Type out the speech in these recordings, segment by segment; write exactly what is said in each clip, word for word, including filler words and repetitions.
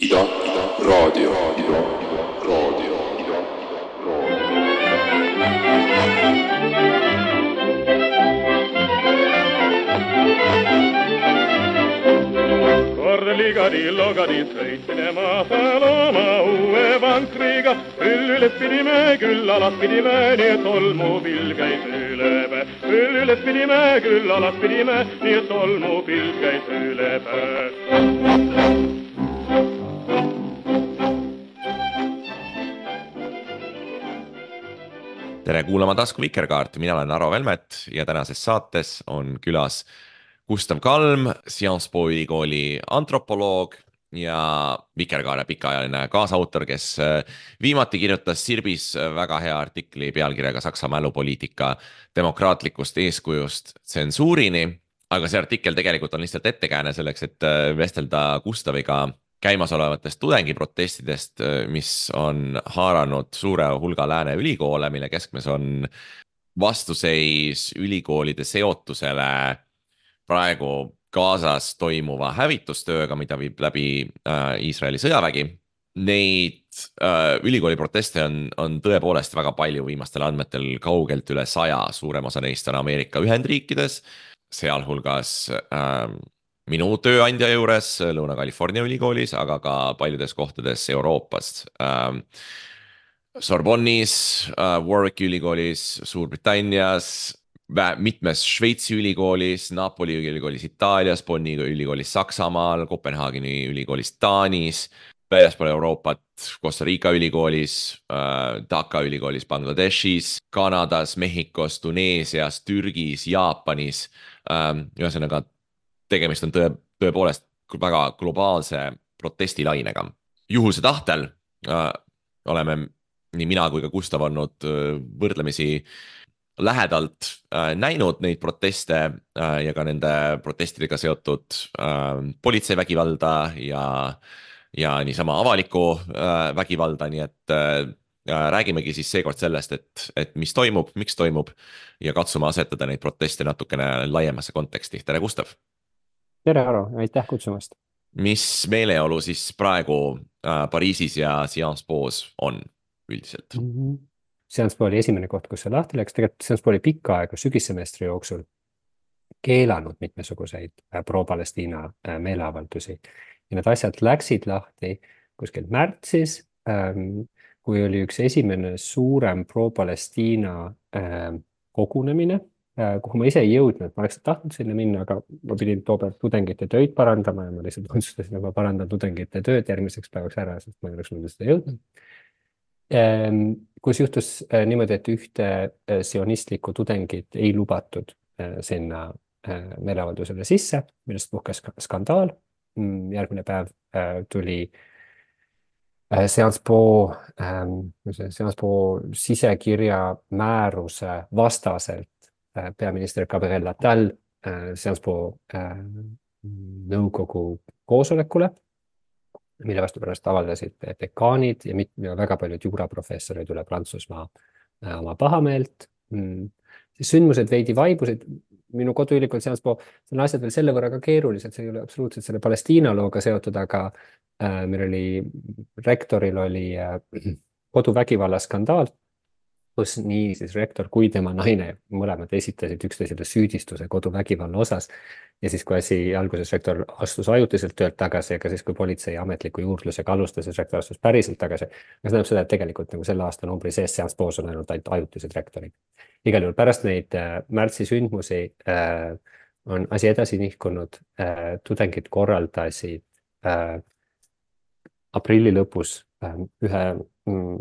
Ida, Ida, raadio, Ida, Ida, raadio, Ida, raadio. Korligadi, logadi, sõitmine maasal oma uue vankriga. Küll üles pidime, küll alas pidime, nii et tolmupilv käis üle päe. Küll üles pidime, küll alas pidime, nii et tolmupilv käis üle päe. Tere kuulama Tasku Vikerkaart, mina olen Aro Velmet ja tänases saates on külas Gustav Kalm, Sciences Po ülikooli antropoloog ja Vikerkaare pikaajaline kaasautor, kes viimati kirjutas Sirbis väga hea artikli pealkirjaga Saksa mälupoliitika demokraatlikust eeskujust tsensuurini, aga see artikkel tegelikult on lihtsalt ettekääne selleks, et vestelda Gustaviga käimasolevatest tudengiprotestidest, mis on haaranud suure hulga lääne ülikoole, mille keskmes on vastuseis ülikoolide seotusele praegu Gazas toimuva hävitustööga, mida viib läbi äh, Iisraeli sõjavägi. Neid äh, ülikooli proteste on, on tõepoolest väga palju viimastel andmetel kaugelt üle saja, suurem osa neist on Ameerika Ühendriikides, sealhulgas äh, minu tööandja juures Lõuna-California ülikoolis, aga ka paljudes kohtades Euroopast. Sorbonnis, Warwicki ülikoolis, Suurbritannias, mitmes Šveitsi ülikoolis, Napoli ülikoolis Itaalias, Bonni ülikoolis Saksamaal, Kopenhaageni ülikoolis Taanis, väljaspool Euroopat, Costa Rica ülikoolis, Dhaka ülikoolis Bangladeshis, Kanadas, Mehhikos, Tuneesias, Türgis, Jaapanis, ühesõnaga tegemist on tõe, tõepoolest väga globaalse protestilainega. Juhuse tahtel äh, oleme nii mina kui ka Gustav olnud äh, võrdlemisi lähedalt äh, näinud neid proteste äh, ja ka nende protestidega seotud äh, politseivägivalda ja, ja niisama avalikku äh, vägivalda, nii et äh, räägimegi siis seekord sellest, et, et mis toimub, miks toimub ja katsume asetada neid proteste natukene laiemasse konteksti. Tere, Gustav! Tere, Aro, aitäh kutsumast. Mis meeleolu siis praegu äh, Pariisis ja Sciences Po's on üldiselt? Mm -hmm. Sciences Po oli esimene koht, kus see lahti läks. Tegelikult Sciences Po oli pikka aega sügissemestri jooksul keelanud mitmesuguseid äh, pro-Palestiina äh, meeleavaldusi. Ja need asjad läksid lahti kuskilt märtsis, ähm, kui oli üks esimene suurem pro-Palestiina äh, kogunemine, kuhu ma ise ei jõudnud, ma oleks tahtnud sinna minna, aga ma pidin toobelt tudengite tööd parandama ja ma lihtsalt otsustasin, et ma parandan tudengite tööd järgmiseks päevaks ära, sest ma ei oleks muidu seda jõudnud. Kus juhtus niimoodi, et ühte sionistlikku tudengit ei lubatud sinna meeleavaldusele sisse, millest puhkes skandaal. Järgmine päev tuli Sciences Po, Sciences Po sisekirja määruse vastaselt peaminister Gabriel Attal Sciences Po nõukogu koosolekule, mille vastu pärast avaldasid dekaanid ja, mit, ja väga paljud juuraprofessorid üle Prantsusmaa oma pahameelt. Siis sündmused veidi vaibusid. Minu koduülikool Sciences Po, see on asjad veel selle võrra ka keerulised, see ei ole absoluutselt selle Palestiina looga seotud, aga äh, meil oli, rektoril oli äh, koduvägivalla skandaal, kus nii siis rektor kui tema naine mõlemad esitasid üksteisele süüdistuse koduvägivalla osas. Ja siis, kui asi alguses rektor astus ajutiselt töölt tagasi, aga siis, kui politsei ametliku juurdlusega alustas, siis rektor astus päriselt tagasi. See tähendab seda, et tegelikult nagu selle aasta numbri sees Sciences Po's on ainult ajutised rektorid. Igal juhul pärast neid äh, märtsi sündmusi äh, on asi edasi nihkunud. Äh, tudengid korraldasid äh, aprilli lõpus äh, ühe mm,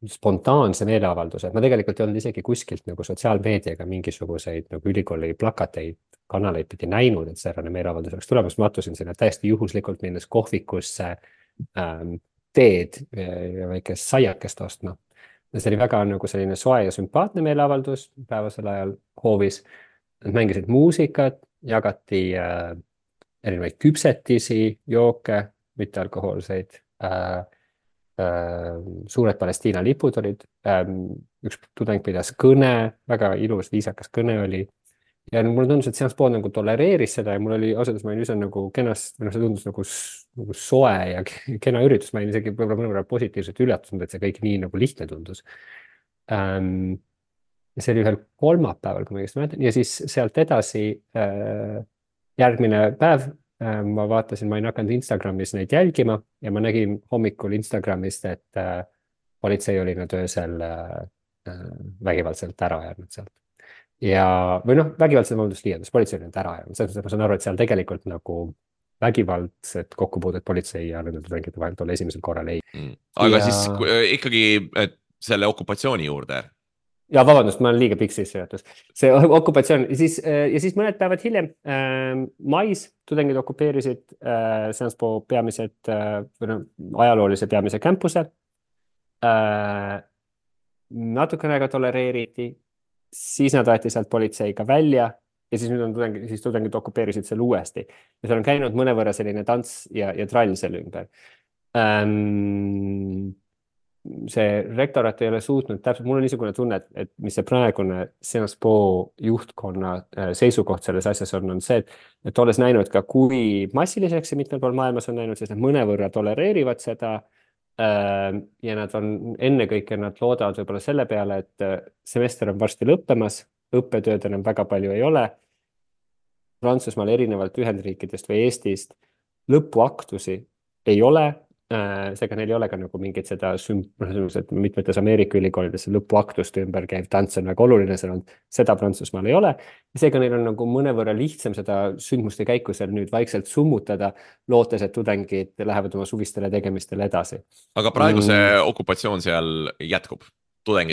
spontaanse meeleavalduse. Ma tegelikult ei olnud isegi kuskilt nagu sotsiaalmeediaga mingisuguseid nagu ülikooli plakateid, kanaleid pidi näinud, et säärane meeleavaldus oleks tulemas. Ma atusin sinna täiesti juhuslikult minnes kohvikusse ähm, teed ja väikest saiakest ostma. Ja see oli väga nagu selline soe ja sümpaatne meeleavaldus päevasel ajal hoovis. Nad mängisid muusikat, jagati äh, erinevaid küpsetisi, jooke, mittealkohoolseid äh, suured Palestiina lipud olid, üks tudeng pidas kõne, väga ilus, viisakas kõne oli ja mulle tundus, et Sciences Po nagu tolereeris seda ja mul oli ausalt, ma olin üsna nagu kenast, või noh, see tundus nagu, nagu soe ja kena üritus, ma olin isegi võib-olla mõnevõrra positiivselt üllatunud, et see kõik nii nagu lihtne tundus ähm,. ja see oli ühel kolmapäeval, kui ma õigesti mäletan, ja siis sealt edasi äh, järgmine päev äh, ma vaatasin, ma olin hakanud Instagramis neid jälgima ja ma nägin hommikul Instagramist, et äh, politsei oli nüüd öösel äh, vägivaldselt ära jäänud sealt. Ja, või noh, vägivaldselt valdust liialdus, politsei oli nüüd ära jäänud, selles mõttes ma saan aru, et seal tegelikult nagu vägivaldset kokkupuudet politsei ja nende tudengite vahelt oli esimesel korral ei mm.. aga ja... siis ikkagi et selle okupatsiooni juurde. Ja vabandust, ma olen liiga pikk sissejuhatus. See okupatsioon ja siis, ja siis mõned päevad hiljem äh, mais tudengid okupeerisid äh, Sciences Po peamised äh, või no, ajaloolise peamise campuse. Äh, natukene aega tolereeriti, siis nad aeti sealt politseiga välja ja siis nüüd on tudengid, siis tudengid okupeerisid selle uuesti. Ja seal on käinud mõnevõrra selline tants ja, ja trall selle ümber. Ähm, see rektorat ei ole suutnud täpselt, mul on niisugune tunne, et, et mis see praegune Sciences Po juhtkonna seisukoht selles asjas on, on see, et, et olles näinud ka, kui massiliseks see mitmel pool maailmas on näinud, sest nad mõnevõrra tolereerivad seda äh, ja nad on ennekõike, nad loodavad võib-olla selle peale, et semester on varsti lõppemas, õppetööd enam väga palju ei ole. Prantsusmaal erinevalt Ühendriikidest või Eestist lõpuaktusi ei ole, seega neil ei ole ka nagu mingit seda et mitmetes Ameerika ülikoolides lõpuaktuste ümber käiv tants on väga oluline, seda Prantsusmaal ei ole. Seega neil on nagu mõnevõrra lihtsam seda sündmuste käiku seal nüüd vaikselt summutada, lootes, et tudengid lähevad oma suvistele tegemistele edasi. Aga praegu see mm. okupatsioon seal jätkub?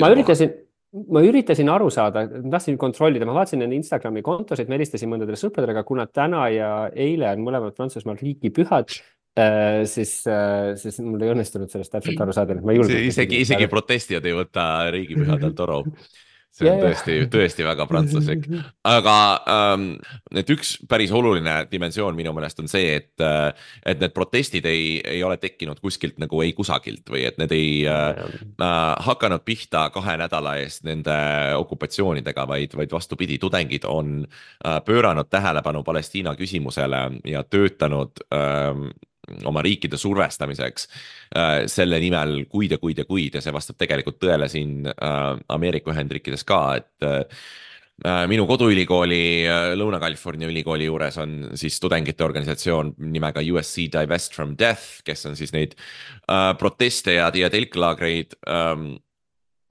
Ma üritasin, ma üritasin aru saada, tahtsin kontrollida, ma vaatasin nende Instagrami kontosid, me helistasin mõndadele sõpradele, kuna täna ja eile on mõlemad Prantsusmaal riigipühad, Äh, siis, äh, siis mul ei õnnestunud sellest täpselt aru saada. Ma isegi, isegi protestijad ei võta riigipühadel toru. See on tõesti, tõesti väga prantslaslik. Aga ähm, et üks päris oluline dimensioon minu meelest on see, et, et need protestid ei, ei ole tekkinud kuskilt nagu ei kusagilt või et need ei äh, hakanud pihta kahe nädala eest nende okupatsioonidega, vaid, vaid vastupidi, tudengid on äh, pööranud tähelepanu Palestiina küsimusele ja töötanud äh, oma riikide survestamiseks äh, selle nimel kuid ja kuid ja kuid ja see vastab tegelikult tõele siin äh, Ameerika Ühendriikides ka, et äh, minu koduülikooli äh, Lõuna-California ülikooli juures on siis tudengite organisatsioon nimega U S C Divest from Death, kes on siis neid äh, proteste ja, ja telklaagreid äh,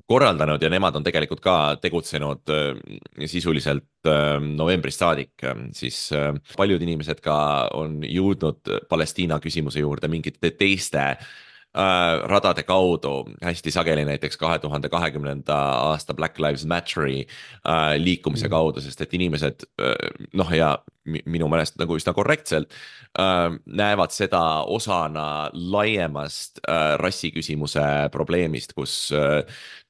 korraldanud ja nemad on tegelikult ka tegutsenud äh, sisuliselt äh, novembrist saadik, siis äh, paljud inimesed ka on jõudnud Palestiina küsimuse juurde mingite teiste äh, radade kaudu, hästi sageli näiteks kahe tuhande kahekümnenda aasta Black Lives Matteri äh, liikumise kaudu, sest et inimesed äh, noh ja minu meelest nagu üsna korrektselt äh, näevad seda osana laiemast äh, rassiküsimuse probleemist, kus äh,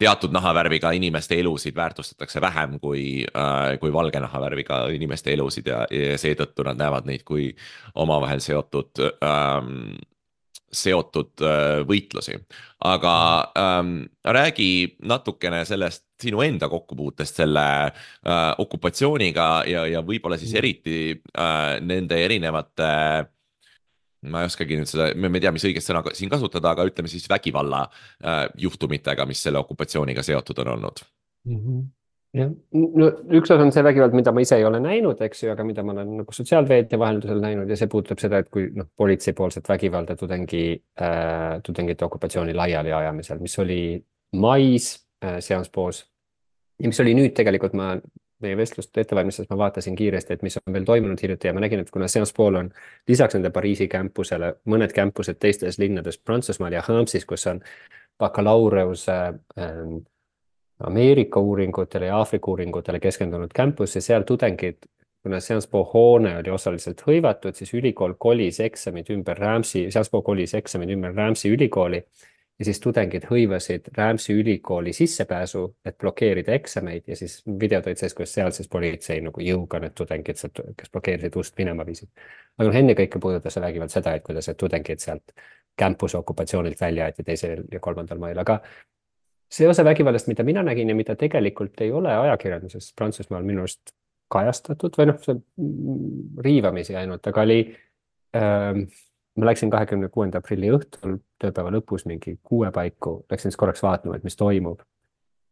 teatud nahavärviga inimeste elusid väärtustatakse vähem kui, äh, kui valge nahavärviga inimeste elusid ja, ja seetõttu nad näevad neid kui omavahel seotud äh, seotud äh, võitlusi. Aga ähm, räägi natukene sellest sinu enda kokkupuutest selle äh, okupatsiooniga ja, ja võib-olla siis eriti äh, nende erinevate, ma ei oskagi nüüd seda, me ei tea, mis õigest sõna siin kasutada, aga ütleme siis vägivalla äh, juhtumitega, mis selle okupatsiooniga seotud on olnud. Mm-hmm. Ja, no, üks osa on see vägivald, mida ma ise ei ole näinud, eks ju, aga mida ma olen nagu sotsiaalveedia vaheldusel näinud ja see puudutab seda, et kui noh, politseipoolset vägivalda tudengi, äh, tudengite okupatsiooni laiali ajamisel, mis oli mais äh, Sciences Po's ja mis oli nüüd tegelikult ma meie vestlust ettevalmistades ma vaatasin kiiresti, et mis on veel toimunud hiljuti ja ma nägin, et kuna Sciences Po'l on lisaks nende Pariisi campusele mõned campused teistes linnades Prantsusmaal ja Hamsis, kus on bakalaureuse äh, Ameerika uuringutele ja Aafrika uuringutele keskendunud campus ja seal tudengid, kuna Sciences Po hoone oli osaliselt hõivatud, siis ülikool kolis eksamid ümber Ramsi, Sciences Po kolis eksamid ümber Ramsi ülikooli ja siis tudengid hõivasid Ramsi ülikooli sissepääsu, et blokeerida eksameid ja siis videod olid sees, kus sealses politsei nagu jõuga need tudengid, kes blokeerisid ust minema viisid. Aga noh, enne kõike puudutas see vägivald seda, et kuidas tudengid sealt campuse okupatsioonilt välja aeti teisel ja kolmandal mail, aga see osa vägivallast, mida mina nägin ja mida tegelikult ei ole ajakirjanduses Prantsusmaal minu arust kajastatud või noh, see riivamisi ainult, aga oli ähm,, ma läksin kahekümne kuuenda aprilli õhtul, tööpäeva lõpus mingi kuue paiku, läksin siis korraks vaatama, et mis toimub.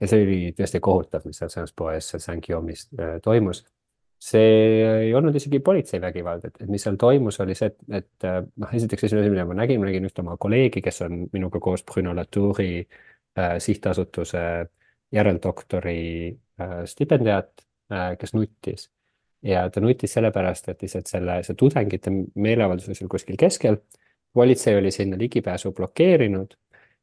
Ja see oli tõesti kohutav, mis seal Sciences Po ees seal Saint-Guillaume'is äh, toimus. See ei olnud isegi politseivägivald, et, et mis seal toimus, oli see, et, et noh, esiteks esimene asi, mida ma nägin, ma nägin ühte oma kolleegi, kes on minuga koos Bruno Latouri äh, sihtasutuse järeldoktori äh, stipendiaat, äh, kes nuttis. Ja ta nuttis sellepärast, et lihtsalt selle, see tudengite meeleavaldus oli kuskil keskel, politsei oli sinna ligipääsu blokeerinud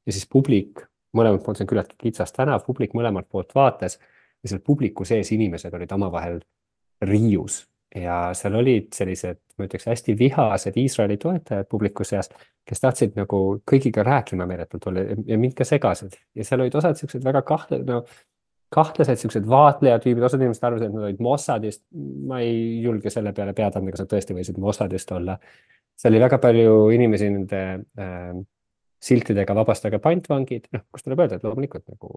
ja siis publik, mõlemalt poolt, see on küllaltki kitsas tänav, publik mõlemalt poolt vaatas ja seal publiku sees inimesed olid omavahel riius ja seal olid sellised, ma ütleks, hästi vihased Iisraeli toetajad publiku seas, kes tahtsid nagu kõigiga rääkima meeletult olla ja mind ka segasid. Ja seal olid osad sellised väga kahtle, no, kahtlased sellised vaatlejad tüübid, osad inimesed arvasid, et nad olid Mossadist. Ma ei julge selle peale pead anda, kas nad tõesti võisid Mossadist olla. Seal oli väga palju inimesi nende äh, siltidega vabastage pantvangid, noh, kus tuleb öelda, et loomulikult nagu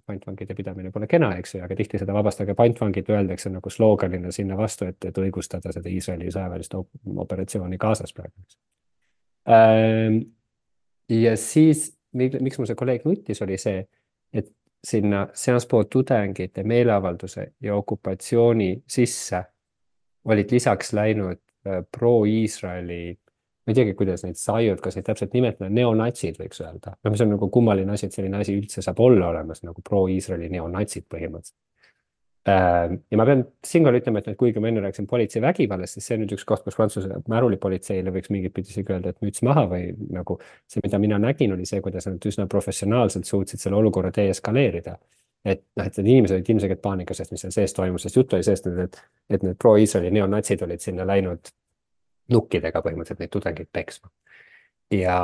pantvangide pidamine pole kena, eks ju, aga tihti seda vabastage pantvangid öeldakse nagu slooganina sinna vastu, et, et õigustada seda Iisraeli sõjaväelist operatsiooni Gazas praegu. Ja siis, miks mu see kolleeg nutis, oli see, et sinna Sciences Po tudengite meeleavalduse ja okupatsiooni sisse olid lisaks läinud pro-Iisraeli, ma ei teagi, kuidas neid saiud, kas neid täpselt nimetada, neonatsid võiks öelda. No mis on nagu kummaline asi, et selline asi üldse saab olla olemas nagu pro-Iisraeli neonatsid põhimõtteliselt. Ja ma pean siinkohal ütlema, et kuigi ma enne rääksin politsei vägivallast, siis see on nüüd üks koht, kus Prantsuse märulipolitseile võiks mingit pidi isegi öelda, et müts maha või nagu see, mida mina nägin, oli see, kuidas nad üsna professionaalselt suutsid selle olukorra deeskaleerida. Et, noh, et need inimesed olid ilmselgelt paanikasest, mis seal sees toimus, sest juttu oli seest, et, et need pro-Iisraeli neonatsid olid sinna läinud nukkidega põhimõtteliselt neid tudengeid peksma. Ja,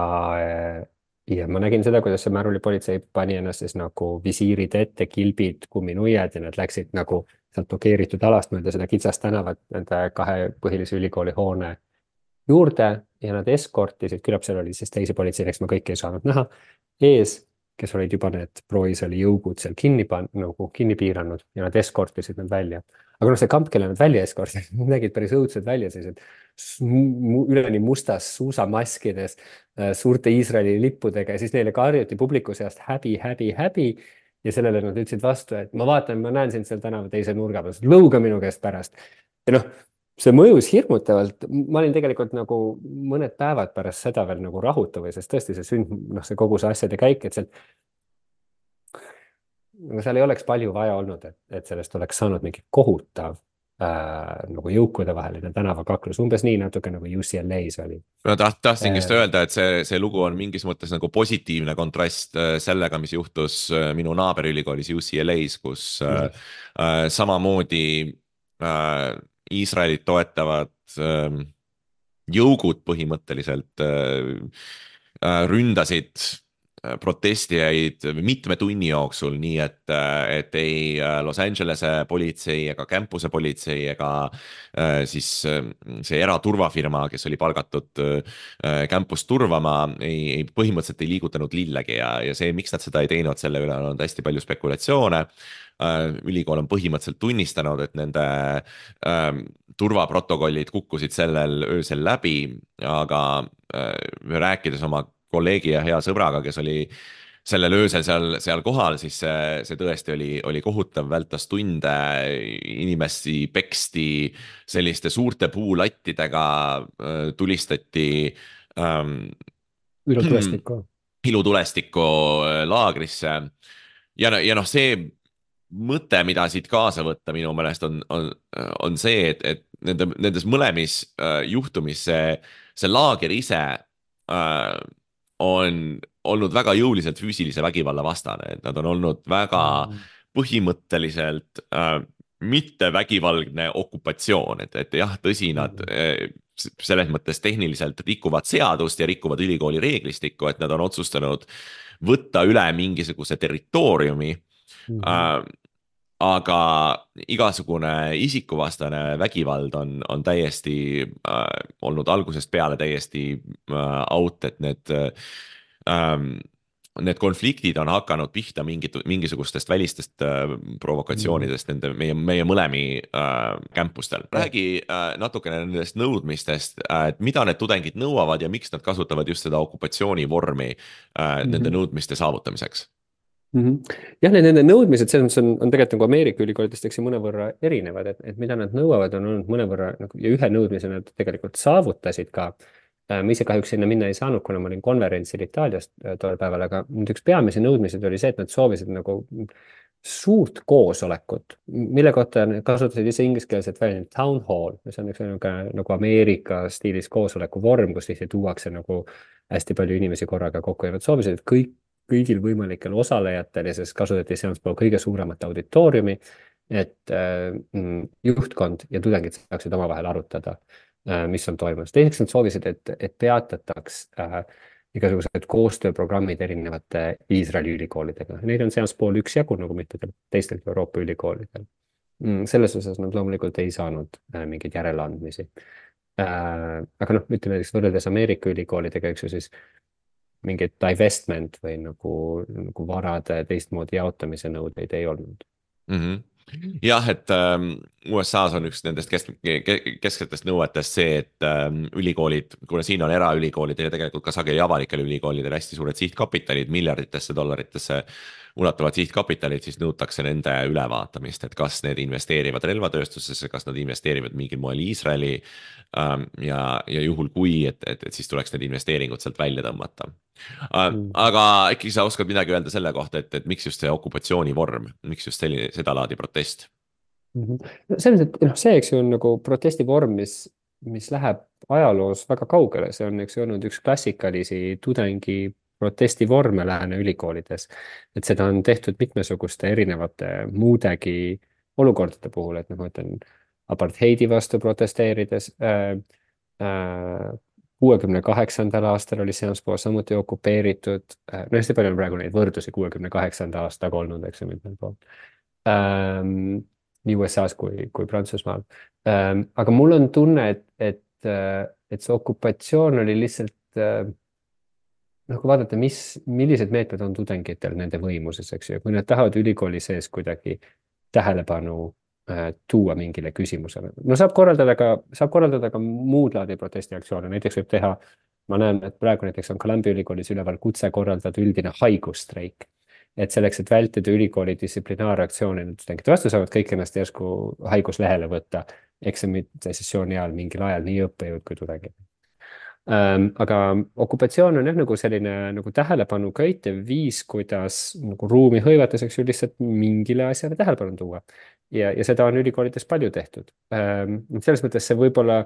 ja ma nägin seda, kuidas see märulipolitsei pani ennast siis nagu visiirid ette, kilbid, kumminuiad ja nad läksid nagu sealt blokeeritud alast mööda seda kitsast tänavat nende kahe põhilise ülikooli hoone juurde ja nad eskortisid, küllap seal oli siis teisi politseileks, ma kõike ei saanud näha, ees, kes olid juba need pro-Iisraeli jõugud seal kinni, nagu kinni piiranud ja nad eskortisid nad välja. Aga noh, see kamp, kelle nad välja eskortisid, nägid päris õudsed välja, sellised üleni mustas suusamaskides, suurte Iisraeli lippudega ja siis neile karjuti publiku seast häbi, häbi, häbi ja sellele nad ütlesid vastu, et ma vaatan, ma näen sind seal tänava teise nurga peal, lõuga minu käest pärast. Ja noh, see mõjus hirmutavalt, ma olin tegelikult nagu mõned päevad pärast seda veel nagu rahutav või sest tõesti see sünd, noh see kogu see asjade käik, et seal, seal ei oleks palju vaja olnud, et, et sellest oleks saanud mingi kohutav äh, nagu jõukude vaheline tänavakaklus, umbes nii natuke nagu U C L A's oli. No taht, tahtsin just öelda, et see, see lugu on mingis mõttes nagu positiivne kontrast sellega, mis juhtus minu naaberülikoolis U C L A's, kus äh, äh, samamoodi äh, Iisraelit toetavad äh, jõugud põhimõtteliselt äh, ründasid protestijaid mitme tunni jooksul, nii et, et ei Los Angelese politsei ega campuse politsei ega äh, siis see eraturvafirma, kes oli palgatud äh, campust turvama, ei, ei põhimõtteliselt ei liigutanud lillegi ja, ja see, miks nad seda ei teinud, selle üle on hästi palju spekulatsioone. Ülikool on põhimõtteliselt tunnistanud, et nende ähm, turvaprotokollid kukkusid sellel öösel läbi, aga äh, rääkides oma kolleegi ja hea sõbraga, kes oli sellel öösel seal, seal kohal, siis see, see tõesti oli, oli kohutav, vältas tunde, inimesi peksti selliste suurte puulattidega, tulistati ähm, ilutulestikku. ilutulestikku laagrisse ja, ja noh, see mõte, mida siit kaasa võtta minu meelest on, on, on see, et, et nende, nendes mõlemis äh, juhtumis see, see laager ise äh, on olnud väga jõuliselt füüsilise vägivalla vastane, et nad on olnud väga põhimõtteliselt äh, mitte vägivaldne okupatsioon, et, et jah, tõsi, nad äh, selles mõttes tehniliselt rikuvad seadust ja rikuvad ülikooli reeglistikku, et nad on otsustanud võtta üle mingisuguse territooriumi. Mm -hmm. äh, aga igasugune isikuvastane vägivald on, on täiesti äh, olnud algusest peale täiesti äh, out, et need äh, need konfliktid on hakanud pihta mingit, mingisugustest välistest äh, provokatsioonidest nende meie, meie mõlemi äh, campustel. räägi äh, natukene nendest nõudmistest, äh, et mida need tudengid nõuavad ja miks nad kasutavad just seda okupatsioonivormi äh, mm-hmm. nende nõudmiste saavutamiseks? Mm-hmm. jah, need nende nõudmised selles mõttes on, on tegelikult nagu Ameerika ülikoolidest eks mõnevõrra erinevad, et, et mida nad nõuavad, on olnud mõnevõrra nagu, ja ühe nõudmise nad tegelikult saavutasid ka. Ma ise kahjuks sinna minna ei saanud, kuna ma olin konverentsil Itaaliast tol päeval, aga nüüd üks peamisi nõudmised oli see, et nad soovisid nagu suurt koosolekut, mille kohta kasutasid ise ingliskeelset väljendit town hall, mis on üks nagu, nagu Ameerika stiilis koosoleku vorm, kus lihtsalt tuuakse nagu hästi palju inimesi korraga kokku ja nad soovisid, et kõik, kõigil võimalikel osalejatel ja siis kasutati sealt kõige suuremat auditooriumi, et äh, juhtkond ja tudengid saaksid omavahel arutada, mis on toimunud. Teiseks nad soovisid, et, et peatataks äh, igasugused koostööprogrammid erinevate Iisraeli ülikoolidega. Neid on seas pool üks jagu, nagu mitmedel teistel Euroopa ülikoolidel. Mm, selles osas nad loomulikult ei saanud äh, mingeid järeleandmisi. Äh, aga noh, ütleme näiteks võrreldes Ameerika ülikoolidega, eks ju siis mingit divestment või nagu, nagu varade teistmoodi jaotamise nõudeid ei olnud. Mm-hmm. jah, et ähm, U S A-s on üks nendest kesk, kesksetest nõuetest see, et ähm, ülikoolid, kuna siin on eraülikoolidel ja tegelikult ka sageli avalikel ülikoolidel hästi suured sihtkapitalid, miljarditesse dollaritesse ulatuvad sihtkapitalid, siis nõutakse nende ülevaatamist, et kas need investeerivad relvatööstusesse, kas nad investeerivad mingil moel Iisraeli ähm, ja, ja juhul kui, et, et, et siis tuleks need investeeringud sealt välja tõmmata. Mm. Aga äkki sa oskad midagi öelda selle kohta, et, et miks just see okupatsioonivorm, miks just selline seda laadi protest? Mm-hmm. No, selles, et, noh, see eks ju on nagu protestivorm, mis, mis läheb ajaloos väga kaugele, see on eks olnud üks klassikalisi tudengi protestivorme lääne ülikoolides, et seda on tehtud mitmesuguste erinevate muudegi olukordade puhul, et noh, ma ütlen apartheidi vastu protesteerides äh, äh, kuuekümne kaheksandal aastal oli Seanspool samuti okupeeritud, no hästi palju on praegu neid võrdlusi kuuekümne kaheksanda aastaga olnud, eks ju, mitmel pool. Ähm, nii U S A-s kui, kui Prantsusmaal. Ähm, aga mul on tunne, et, et, et see okupatsioon oli lihtsalt, äh, noh, kui vaadata, mis, millised meetmed on tudengitel nende võimuses, eks ju, kui nad tahavad ülikooli sees kuidagi tähelepanu tuua mingile küsimusele. No saab korraldada ka, saab korraldada ka muud laadi protestiaktsioone, näiteks võib teha, ma näen, et praegu näiteks on Columbia ülikoolis üleval kutse korraldada üldine haigusstreik, et selleks, et vältida ülikooli distsiplinaarreaktsiooni, tudengid vastu saavad kõik ennast järsku haiguslehele võtta eksamite sessiooni ajal mingil ajal nii õppejõud kui tudengid. Ähm, aga okupatsioon on jah nagu selline nagu tähelepanu köitev viis, kuidas nagu ruumi hõivates, eks ju, lihtsalt mingile asjale tähelepanu tuua. Ja, ja seda on ülikoolides palju tehtud. Ähm, selles mõttes see võib-olla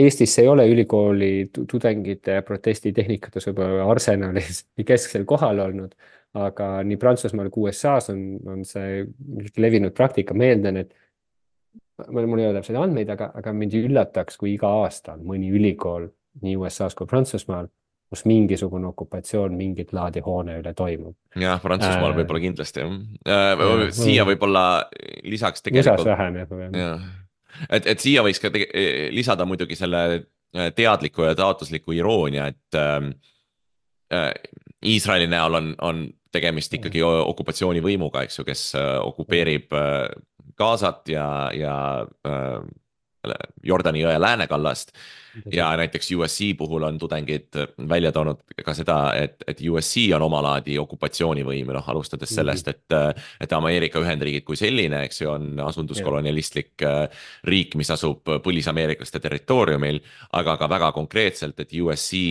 Eestis ei ole ülikooli tudengite protestitehnikutes võib-olla arsenalis kesksel kohal olnud, aga nii Prantsusmaal kui U S A-s on, on see levinud praktika. Meelden, et mul ei ole täpselt andmeid, aga, aga mind üllataks, kui iga aasta on mõni ülikool nii U S A-s kui Prantsusmaal, kus mingisugune okupatsioon mingit laadi hoone üle toimub. Jah, Prantsusmaal äh, võib-olla kindlasti. Äh, siia võib-olla lisaks tegelikult... Usas vähem, jah. jah. Et, et siia võiks ka tege, lisada muidugi selle teadliku ja taotlusliku iroonia, et äh, Iisraeli näol on, on tegemist ikkagi okupatsioonivõimuga, eks ju, kes okupeerib äh, Gazat ja, ja äh, Jordani jõe läänekallast. Ja näiteks U S C puhul on tudengid välja toonud ka seda, et, et U S C on omalaadi okupatsioonivõim, noh, alustades sellest, et, et Ameerika Ühendriigid kui selline, eks ju, on asunduskolonialistlik riik, mis asub põlisameeriklaste territooriumil, aga ka väga konkreetselt, et U S C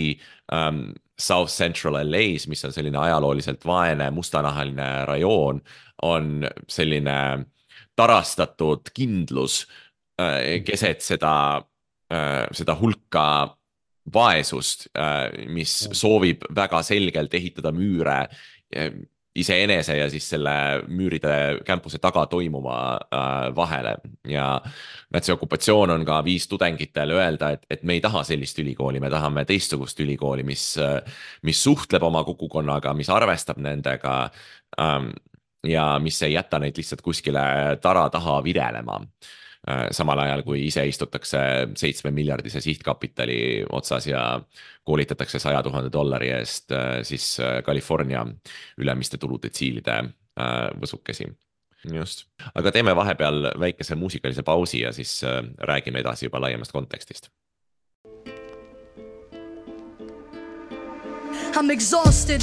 um, South Central L A's, mis on selline ajalooliselt vaene mustanahaline rajoon, on selline tarastatud kindlus äh, keset seda seda hulka vaesust, mis soovib väga selgelt ehitada müüre iseenese ja siis selle müüride campuse taga toimuma vahele. Ja see okupatsioon on ka viis tudengitel öelda, et, et me ei taha sellist ülikooli, me tahame teistsugust ülikooli, mis, mis suhtleb oma kogukonnaga, mis arvestab nendega ja mis ei jäta neid lihtsalt kuskile tara taha virelema. samal ajal kui ise istutakse seitsme miljardise sihtkapitali otsas ja koolitatakse saja tuhande dollari eest siis California ülemiste tuludetsiilide võsukesi. Just, aga teeme vahepeal väikese muusikalise pausi ja siis räägime edasi juba laiemast kontekstist. I'm exhausted.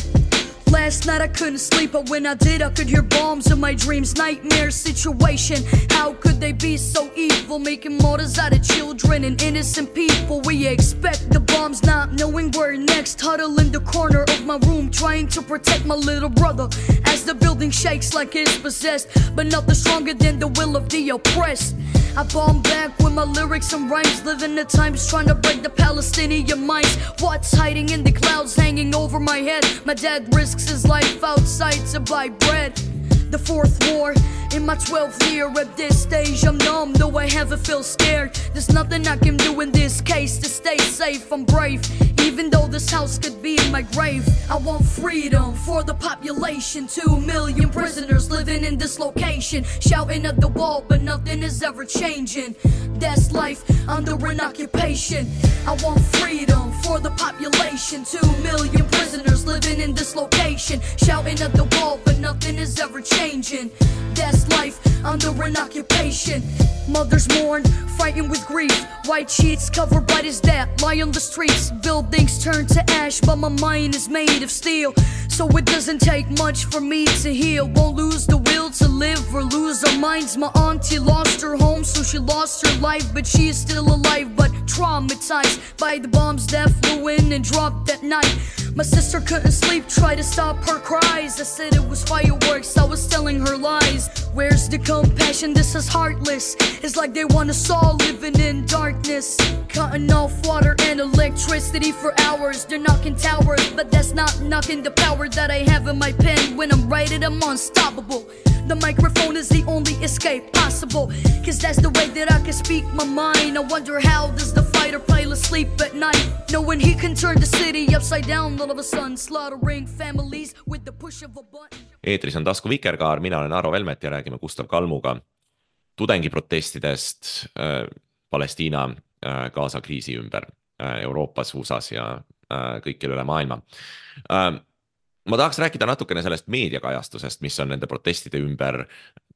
Last night I couldn't sleep, but when I did I could hear bombs in my dreams. Nightmare situation, how could they be so evil, making martyrs out of children and innocent people? We expect the bombs, not knowing where next. Huddle in the corner of my room, trying to protect my little brother as the building shakes like it's possessed, but nothing stronger than the will of the oppressed. I bomb back with my lyrics and rhymes, living the times trying to break the Palestinian minds. What's hiding in the clouds hanging over my head? My dad risks his life outside to buy bread. The fourth war in my twelfth year. At this stage I'm numb, though I haven't feel scared. There's nothing I can do in this case to stay safe. I'm brave, even though this house could be in my grave. I want freedom for the population. Two million prisoners living in this location, shouting at the wall, but nothing is ever changing. That's life under an occupation. I want freedom for the population. Two million prisoners living in this location, shouting at the wall, but nothing is ever changing. That's life under an occupation. Mothers mourn, fighting with grief. White sheets covered by his dad lie on the streets. Buildings turn to ash, but my mind is made of steel, so it doesn't take much for me to heal. Won't lose the will to live or lose our minds. My auntie lost her home, so she lost her life, but she is still alive, but traumatized by the bombs that flew in and dropped that night. My sister couldn't sleep, tried to stop her cries. I said it was fireworks, I was telling her lies. Where's the compassion? This is heartless. It's like they want us all living in darkness, cutting off water and electricity for hours. They're knocking towers, but that's not knocking the power that I have in my pen. When I'm writing, I'm unstoppable. The microphone is the only escape possible, cause that's the way that I can speak my mind. I wonder how does the fighter pilot sleep at night, knowing he can turn the city upside down all of a sudden, slaughtering families with the push of a button. Eetris on Tasku Vikerkaar, mina olen Aro Velmet ja räägime Gustav Kalmuga tudengiprotestidest äh, Palestiina äh, Gaza kriisi ümber äh, Euroopas, U S As ja äh, kõikjal üle maailma. Äh, ma tahaks rääkida natukene sellest meediakajastusest, mis on nende protestide ümber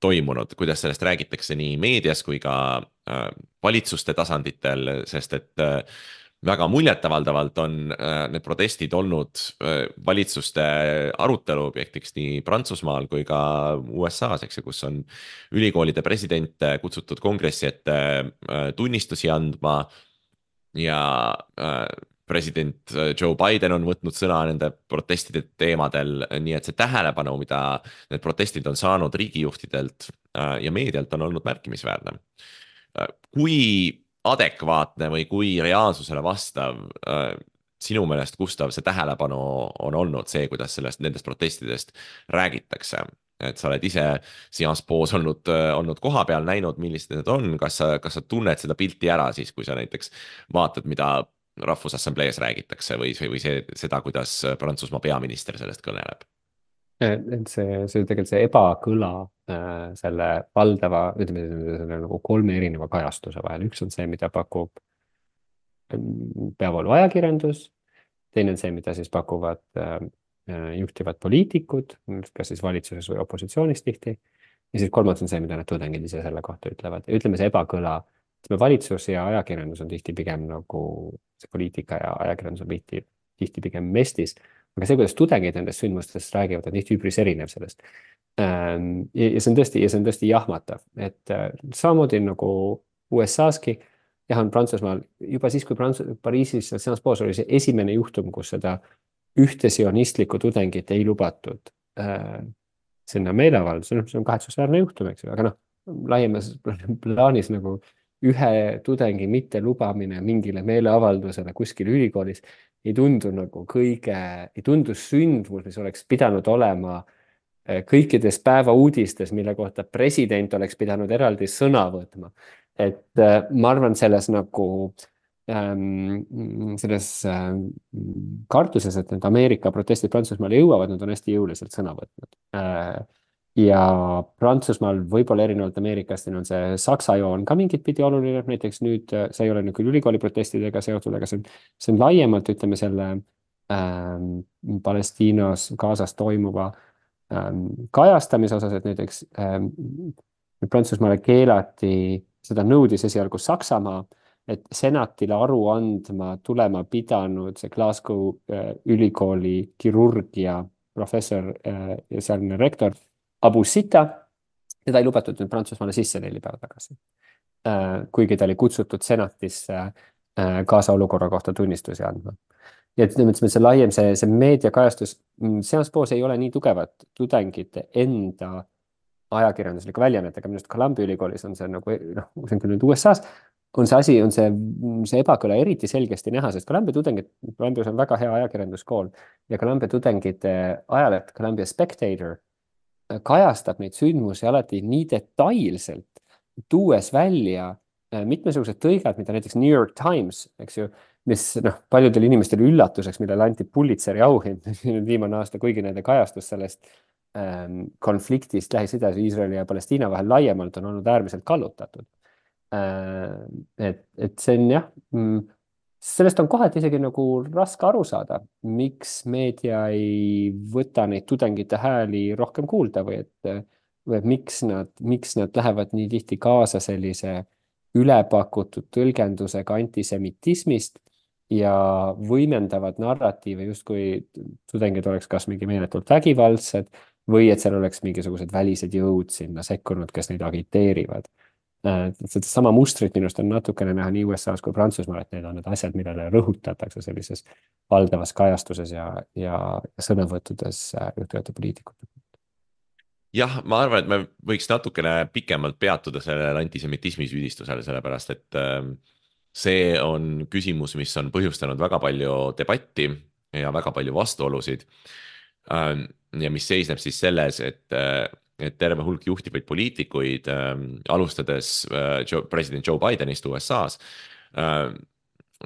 toimunud, kuidas sellest räägitakse nii meedias kui ka äh, valitsuste tasanditel, sest et äh, väga muljetavaldavalt on äh, need protestid olnud äh, valitsuste arutelu objektiks nii Prantsusmaal kui ka U S As, eks, kus on ülikoolide presidente kutsutud kongressi ette äh, tunnistusi andma ja äh, president Joe Biden on võtnud sõna nende protestide teemadel, nii et see tähelepanu, mida need protestid on saanud riigijuhtidelt äh, ja meedialt, on olnud märkimisväärne. Äh, kui adekvaatne või kui reaalsusele vastav äh, sinu meelest, Gustav, see tähelepanu on olnud see, kuidas sellest, nendest protestidest räägitakse? Et sa oled ise Sciences Po's olnud, olnud koha peal näinud, millised need on, kas sa, kas sa tunned seda pilti ära siis, kui sa näiteks vaatad, mida Rahvusassamblees räägitakse või, või see, seda, kuidas Prantsusmaa peaminister sellest kõneleb? Et see, see tegelikult see ebakõla äh, selle valdava, ütleme, selle nagu kolme erineva kajastuse vahel. Üks on see, mida pakub peavoolu ajakirjandus, teine on see, mida siis pakuvad äh, juhtivad poliitikud, kas siis valitsuses või opositsioonis tihti, ja siis kolmas on see, mida need tudengid ise selle kohta ütlevad. Ja ütleme, see ebakõla, ütleme, valitsus ja ajakirjandus on tihti pigem nagu see poliitika ja ajakirjandus on tihti, tihti pigem mestis. Aga see, kuidas tudengid nendest sündmustest räägivad, on tihti üpris erinev sellest. Ja see on tõesti, ja see on tõesti jahmatav, et samamoodi nagu U S A-ski, jah, on Prantsusmaal juba siis, kui Prants- Pariisis Sciences Po's oli see esimene juhtum, kus seda ühte sionistlikku tudengit ei lubatud äh, sinna meeleavaldus, see on kahetsusväärne juhtum, eks ju, aga noh, laiemas plaanis nagu ühe tudengi mitte lubamine mingile meeleavaldusele kuskil ülikoolis ei tundu nagu kõige, ei tundu sündmus, mis oleks pidanud olema kõikides päeva uudistes, mille kohta president oleks pidanud eraldi sõna võtma. Et äh, ma arvan selles nagu ähm, selles ähm, kartuses, et need Ameerika protestid Prantsusmaale jõuavad, nad on hästi jõuliselt sõna võtnud. Äh, ja Prantsusmaal võib-olla erinevalt Ameerikast on see Saksa joon ka mingit pidi oluline, näiteks nüüd see ei ole küll ülikooli protestidega seotud, aga see on, see on laiemalt, ütleme selle ähm, Palestiinas, Gazas toimuva ähm, kajastamise osas, et näiteks ähm, Prantsusmaale keelati, seda nõudis esialgu Saksamaa, et senatile aru andma tulema pidanud see Glasgow äh, ülikooli kirurgia professor äh, ja sealne rektor Abu Sita, teda ei lubatud nüüd Prantsusmaale sisse neli päeva tagasi. Kuigi ta oli kutsutud senatisse Gaza olukorra kohta tunnistusi andma. Ja et see laiem, see, see meediakajastus, Sciences Po's ei ole nii tugevat tudengite enda ajakirjandusliku väljaannetega, minust Columbia ülikoolis on see nagu, noh, see on küll nüüd U S A-s, on see asi, on see, see ebakõla eriti selgesti näha, sest Columbia tudengid, Columbias on väga hea ajakirjanduskool ja Columbia tudengite ajaleht Columbia Spectator kajastab neid sündmusi alati nii detailselt, tuues välja mitmesugused tõigad, mida näiteks New York Times, eks ju, mis noh, paljudel inimestel üllatuseks, millele anti Pulitzeri auhind viimane aasta, kuigi nende kajastus sellest ähm, konfliktist Lähis-Idas, Iisraeli ja Palestiina vahel laiemalt on olnud äärmiselt kallutatud. Äh, et, et see on jah, mm, sellest on kohati isegi nagu raske aru saada, miks meedia ei võta neid tudengite hääli rohkem kuulda või et, või et miks, nad, miks nad lähevad nii tihti kaasa sellise ülepakutud tõlgendusega antisemitismist ja võimendavad narratiive, justkui tudengid oleks kas mingi meeletult vägivaldsed või et seal oleks mingisugused välised jõud sinna sekkunud, kes neid agiteerivad. Seda sama mustrit minust on natukene näha nii U S A-s kui Prantsusmaal, et need on need asjad, millele rõhutatakse sellises valdavas kajastuses ja, ja sõnavõttudes juhtuvate poliitikute. Jah, ma arvan, et me võiks natukene pikemalt peatuda sellele antisemitismi süüdistusele, sellepärast et see on küsimus, mis on põhjustanud väga palju debatti ja väga palju vastuolusid. Ja mis seisneb siis selles, et et terve hulk juhtivaid poliitikuid äh,, alustades äh, Joe, president Joe Bidenist U S A-s äh,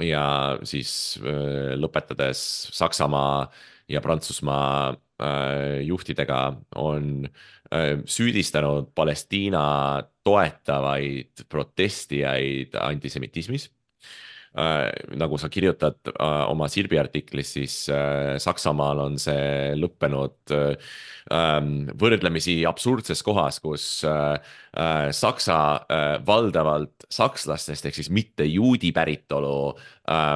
ja siis äh, lõpetades Saksamaa ja Prantsusmaa äh, juhtidega on äh, süüdistanud Palestiina toetavaid protestijaid antisemitismis. Äh, nagu sa kirjutad äh, oma Sirbi artiklis, siis äh, Saksamaal on see lõppenud äh, võrdlemisi absurdses kohas, kus äh, äh, Saksa äh, valdavalt sakslastest ehk siis mitte juudi päritolu äh,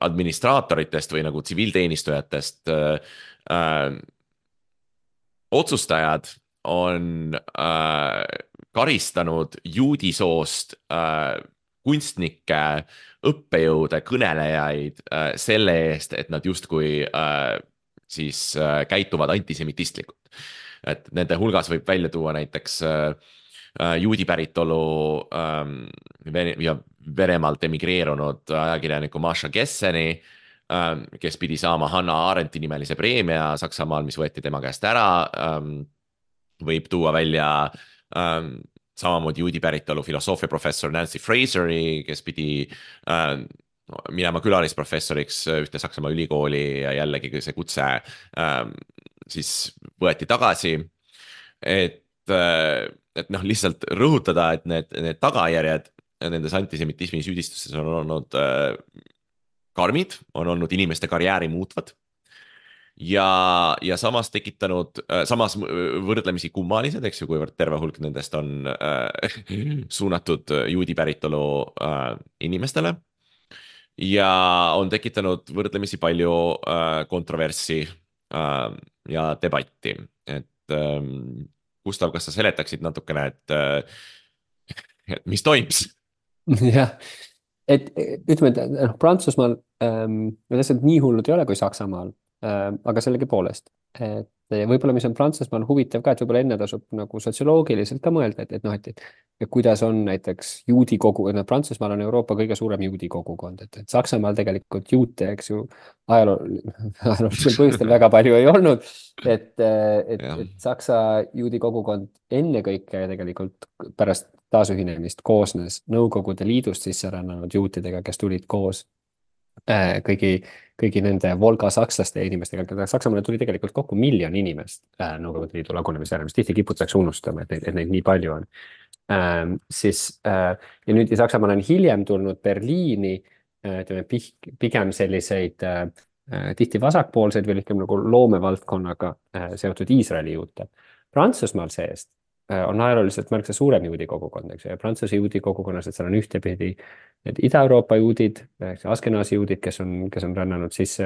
administraatoritest või nagu tsiviilteenistujatest äh, äh, otsustajad on äh, karistanud juudisoost äh, kunstnikke, õppejõude, kõnelejaid äh, selle eest, et nad justkui äh, siis äh, käituvad antisemitistlikult. Et nende hulgas võib välja tuua näiteks äh, juudi päritolu äh, ja Venemaalt emigreerunud ajakirjaniku Masha Gesseni, äh, kes pidi saama Hannah Arendti nimelise preemia Saksamaal, mis võeti tema käest ära. Äh, võib tuua välja äh, samamoodi juudi päritolu filosoofiaprofessor Nancy Fraseri, kes pidi äh, minema külalisprofessoriks ühte Saksamaa ülikooli ja jällegi see kutse äh, siis võeti tagasi. Et, äh, et noh, lihtsalt rõhutada, et need, need tagajärjed nendes antisemitismi süüdistustes on olnud äh, karmid, on olnud inimeste karjääri muutvad. Ja, ja samas tekitanud, samas võrdlemisi kummalised, eks ju, kuivõrd terve hulk nendest on äh, suunatud juudi päritolu äh, inimestele. Ja on tekitanud võrdlemisi palju äh, kontroverssi äh, ja debatti. Et äh, Gustav, kas sa seletaksid natukene, et, äh, et mis toimus? Jah, et ütleme, et noh, Prantsusmaal ähm, need asjad nii hullud ei ole kui Saksamaal. Aga sellegi poolest, et võib-olla mis on Prantsusmaal huvitav ka, et võib-olla enne tasub nagu sotsioloogiliselt ka mõelda, et, et noh, et, et kuidas on näiteks juudi kogu, et Prantsusmaal on Euroopa kõige suurem juudi kogukond, et, et Saksamaal tegelikult juute, eks ju, ajaloo, ajaloolisel põhjustel väga palju ei olnud, et, et, et Saksa juudi kogukond ennekõike tegelikult pärast taasühinemist koosnes Nõukogude Liidust sisse rännanud juutidega, kes tulid koos kõigi, kõigi nende Volga sakslaste inimestega, keda Saksamaale tuli tegelikult kokku miljon inimest Nõukogude Liidu lagunemise järel, mis tihti kiputakse unustama, et neid, et neid nii palju on. Ähm, siis äh, ja nüüd Saksamaal on hiljem tulnud Berliini äh, ütleme, pigem selliseid äh, tihti vasakpoolseid või ütleme nagu loomevaldkonnaga äh, seotud Iisraeli juute. Prantsusmaal seest äh, on ajalooliselt märksa suurem juudi kogukond, eks ju, ja Prantsuse juudi kogukonnas, et seal on ühtepidi need Ida-Euroopa juudid, Askenaasi juudid, kes on, kes on rännanud sisse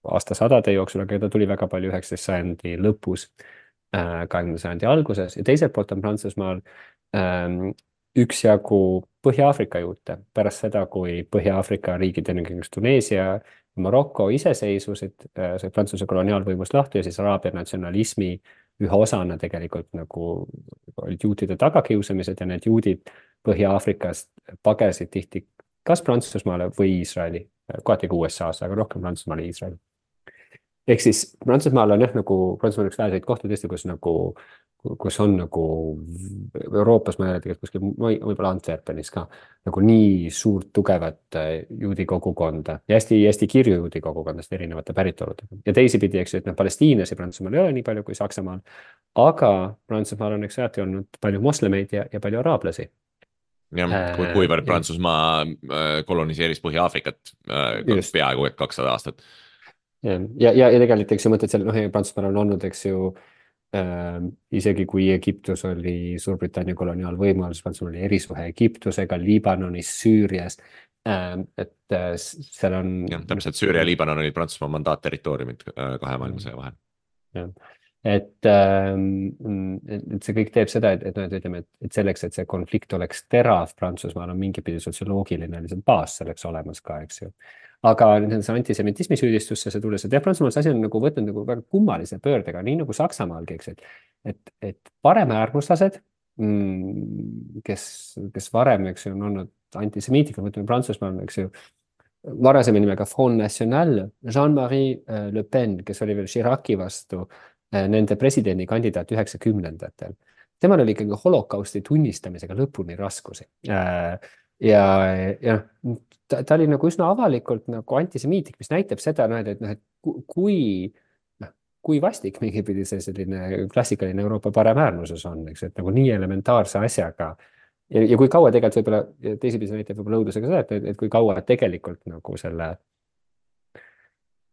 aastasadade jooksul, aga keda tuli väga palju üheksateistkümnenda sajandi lõpus, kahekümnenda sajandi alguses, ja teiselt poolt on Prantsusmaal ähm, üksjagu Põhja-Aafrika juute pärast seda, kui Põhja-Aafrika riigid, ennekõike Tuneesia, Maroko iseseisvusid, sai Prantsuse koloniaalvõimust lahti ja siis araabia natsionalismi ühe osana tegelikult nagu olid juutide tagakiusamised ja need juudid Põhja-Aafrikast pagesid tihti kas Prantsusmaale või Iisraeli, kohati ka U S A-sse, aga rohkem Prantsusmaale ja Iisraeli. Ehk siis Prantsusmaal on jah, nagu Prantsusmaal üks väheseid kohti tõesti, kus nagu kus on nagu Euroopas, ma ei ole tegelikult kuskil, võib-olla Antwerpenis ka, nagu nii suurt tugevat juudi kogukonda ja hästi, hästi kirju juudi kogukondast erinevate päritoludega. Ja teisipidi, eks ju, et noh, Palestiinlasi Prantsusmaal ei ole nii palju kui Saksamaal, aga Prantsusmaal on eks alati olnud palju moslemeid ja, ja palju araablasi. jah, kuivõrd Prantsusmaa koloniseeris Põhja-Aafrikat peaaegu et kakssada aastat. Ja, ja, ja, ja tegelikult, eks ju mõtled seal, noh, Prantsusmaal on olnud, eks ju, äh, isegi kui Egiptus oli Suurbritannia koloniaalvõimu, siis Prantsusmaal oli erisuhe Egiptusega, Liibanonis, Süürias, äh, et äh, seal on... jah, täpselt Süüria ja Liibanon olid Prantsusmaa mandaatterritooriumid kahe maailmasõja vahel. jah. Et, et see kõik teeb seda, et, et, et, ütleme, et, et selleks, et see konflikt oleks terav Prantsusmaal on mingipidi sotsioloogiline baas selleks olemas ka, eks ju. Aga see antisemitismi süüdistusse see tulles, et jah, Prantsusmaal see asi on nagu võtnud nagu väga kummalise pöördega, nii nagu Saksamaalgi, eks, et, et, et paremäärmuslased, kes, kes varem, eks ju, on olnud antisemiitika, võtame Prantsusmaal, eks ju, varasema nimega Front National, Jean-Marie Le Pen, kes oli veel Chiraci vastu nende presidendikandidaat üheksakümnendatel. Temal oli ikkagi holokausti tunnistamisega lõpuni raskusi. Ja, ja ta, ta oli nagu üsna avalikult nagu antisemiitik, mis näitab seda, et, et, et kui, kui vastik mingipidi see selline klassikaline Euroopa paremäärmuses on, eks, et nagu nii elementaarse asjaga. Ja, ja kui kaua tegelikult võib-olla, teisipidi näitab võib-olla õudusega seda, et, et kui kaua tegelikult nagu selle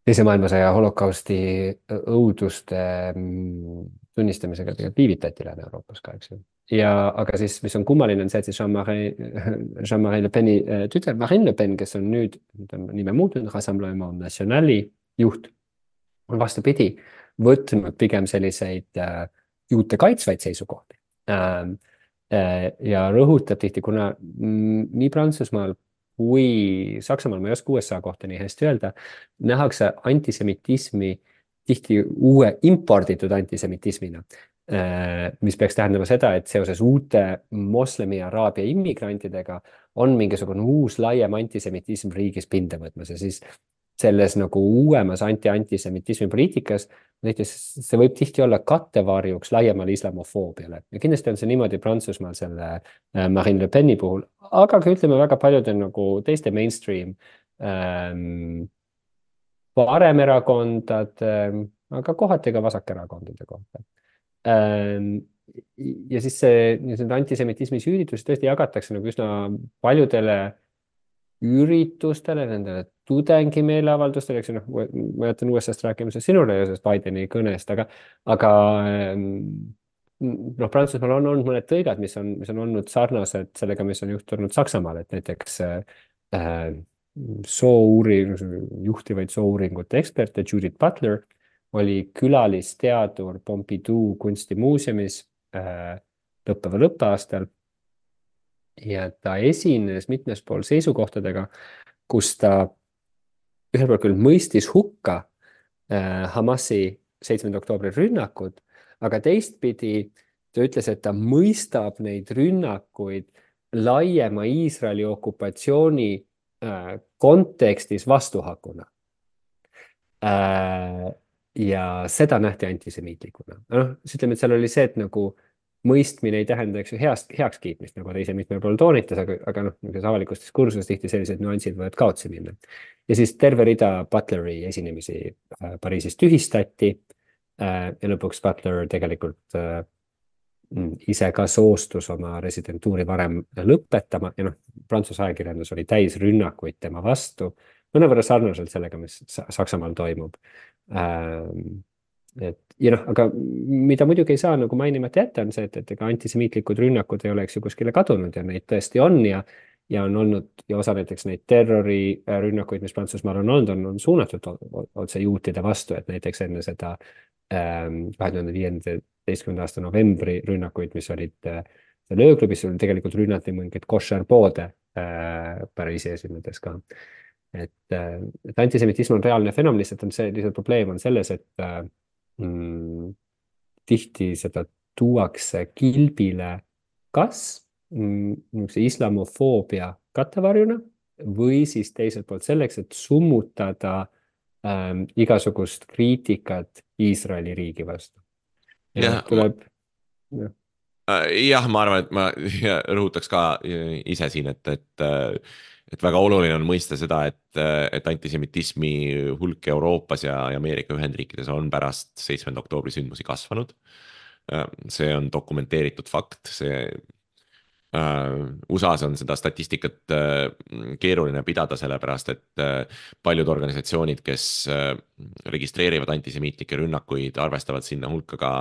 teise maailmasõja holokausti õuduste tunnistamisega tegelikult viivitati Lääne-Euroopas ka, eks ju. Ja, aga siis, mis on kummaline, on see, et siis Jean-Marie, Jean-Marie Le Peni tütar Marine Le Pen, kes on nüüd, nüüd on nime muutunud, Rassemblement Nationali juht, on vastupidi võtnud pigem selliseid äh, juute kaitsvaid seisukohti. Äh, äh, ja rõhutab tihti, kuna mm, nii Prantsusmaal kui Saksamaal, ma ei oska U S A kohta nii hästi öelda, nähakse antisemitismi tihti uue imporditud antisemitismina, mis peaks tähendama seda, et seoses uute moslemi ja araabia immigrantidega on mingisugune uus laiem antisemitism riigis pinda võtmas ja siis selles nagu uuemas anti-antisemitismi poliitikas näiteks see võib tihti olla kattevarjuks laiemale islamofoobiale. Ja kindlasti on see niimoodi Prantsusmaal selle Marine Le Peni puhul, aga ka ütleme väga paljude nagu teiste mainstream ähm, paremerakondade, aga kohati ka vasakerakondade kohta. Ähm, ja siis see, see antisemitismi süüditus tõesti jagatakse nagu üsna paljudele üritustele, nendele tudengi meeleavaldustele, eks ju, noh, ma jätan U S A-st rääkimisest sinule ja sellest Bideni kõnest, aga, aga noh, Prantsusmaal on olnud mõned tõigad, mis on, mis on olnud sarnased sellega, mis on juhtunud Saksamaal, et näiteks äh, soo-uuring, juhtivaid soo-uuringute eksperte Judith Butler oli külalisteadur Pompidou kunstimuuseumis äh, lõppeval õppeaastal. Ja ta esines mitmes pool seisukohtadega, kus ta ühel pool küll mõistis hukka äh, Hamasi seitsmenda oktoobri rünnakud, aga teistpidi ta ütles, et ta mõistab neid rünnakuid laiema Iisraeli okupatsiooni äh, kontekstis vastuhakuna. Äh, ja seda nähti antisemiitlikuna. No, siis ütleme, et seal oli see, et nagu mõistmine ei tähenda, eks ju, heast, heaks kiitmist, nagu ta ise mitmel pool toonitas, aga, aga noh, niisuguses avalikus diskursuses tihti sellised nüansid võivad kaotsi minna. Ja siis terve rida Butleri esinemisi äh, Pariisis tühistati äh, ja lõpuks Butler tegelikult äh, ise ka soostus oma residentuuri varem lõpetama ja noh, Prantsuse ajakirjandus oli täis rünnakuid tema vastu, mõnevõrra sarnaselt sellega, mis Saksamaal toimub. Ähm, et ja noh, aga mida muidugi ei saa nagu mainimata jätta on see, et, et ega antisemiitlikud rünnakud ei oleks ju kuskile kadunud ja neid tõesti on ja, ja on olnud ja osa näiteks neid terrorirünnakuid, mis Prantsusmaal on olnud, on, on suunatud otse juutide vastu, et näiteks enne seda ähm, kahe tuhande viieteistkümnenda aasta novembri rünnakuid, mis olid äh, seal ööklubis, tegelikult rünnati mingeid koššerpoode äh, Pariisi esinedes ka. Et, äh, et antisemitism on reaalne fenomen, lihtsalt on see, lihtsalt probleem on selles, et äh, Mm, tihti seda tuuakse kilbile kas mm, islamofoobia kattevarjuna või siis teiselt poolt selleks, et summutada ähm, igasugust kriitikat Iisraeli riigi vastu. Ja, ja tuleb... Ja. jah, ma arvan, et ma rõhutaks ka ise siin, et, et et väga oluline on mõista seda, et, et antisemitismi hulk Euroopas ja Ameerika Ühendriikides on pärast seitsmenda oktoobri sündmusi kasvanud. See on dokumenteeritud fakt, see U S A-s on seda statistikat keeruline pidada, sellepärast et paljud organisatsioonid, kes registreerivad antisemiitlikke rünnakuid, arvestavad sinna hulka ka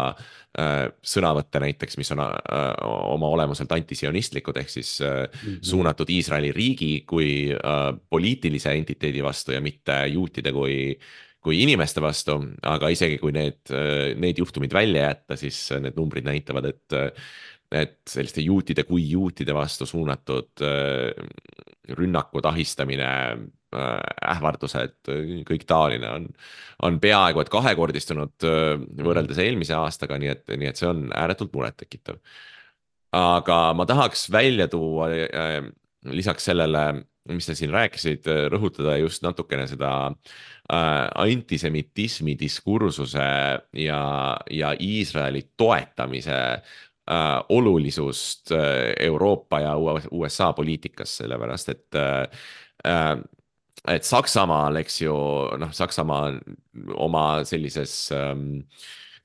sõnavõtte näiteks, mis on oma olemuselt antisionistlikud, ehk siis mm-hmm. suunatud Iisraeli riigi kui poliitilise entiteedi vastu ja mitte juutide kui kui inimeste vastu, aga isegi kui need, need juhtumid välja jätta, siis need numbrid näitavad, et et selliste juutide kui juutide vastu suunatud rünnakud, ahistamine, ähvardused, kõik taoline on, on peaaegu et kahekordistunud võrreldes eelmise aastaga, nii et, nii et see on ääretult murettekitav. Aga ma tahaks välja tuua lisaks sellele, mis te siin rääkisid, rõhutada just natukene seda antisemitismi diskursuse ja, ja Iisraeli toetamise Äh, olulisust äh, Euroopa ja U S A poliitikas, sellepärast et äh, et Saksamaal, eks ju, noh, Saksamaa oma sellises ähm,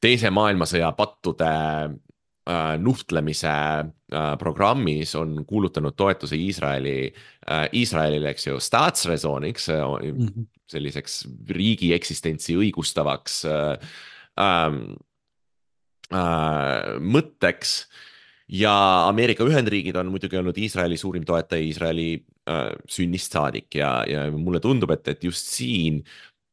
teise maailmasõja pattude äh, nuhtlemise äh, programmis on kuulutanud toetuse Iisraeli äh, Iisraelile, eks ju, staatsräsoniks, mm-hmm. selliseks riigi eksistentsi õigustavaks äh, äh, Äh, mõtteks ja Ameerika Ühendriigid on muidugi olnud Iisraeli suurim toetaja Iisraeli äh, sünnist saadik ja, ja mulle tundub, et, et just siin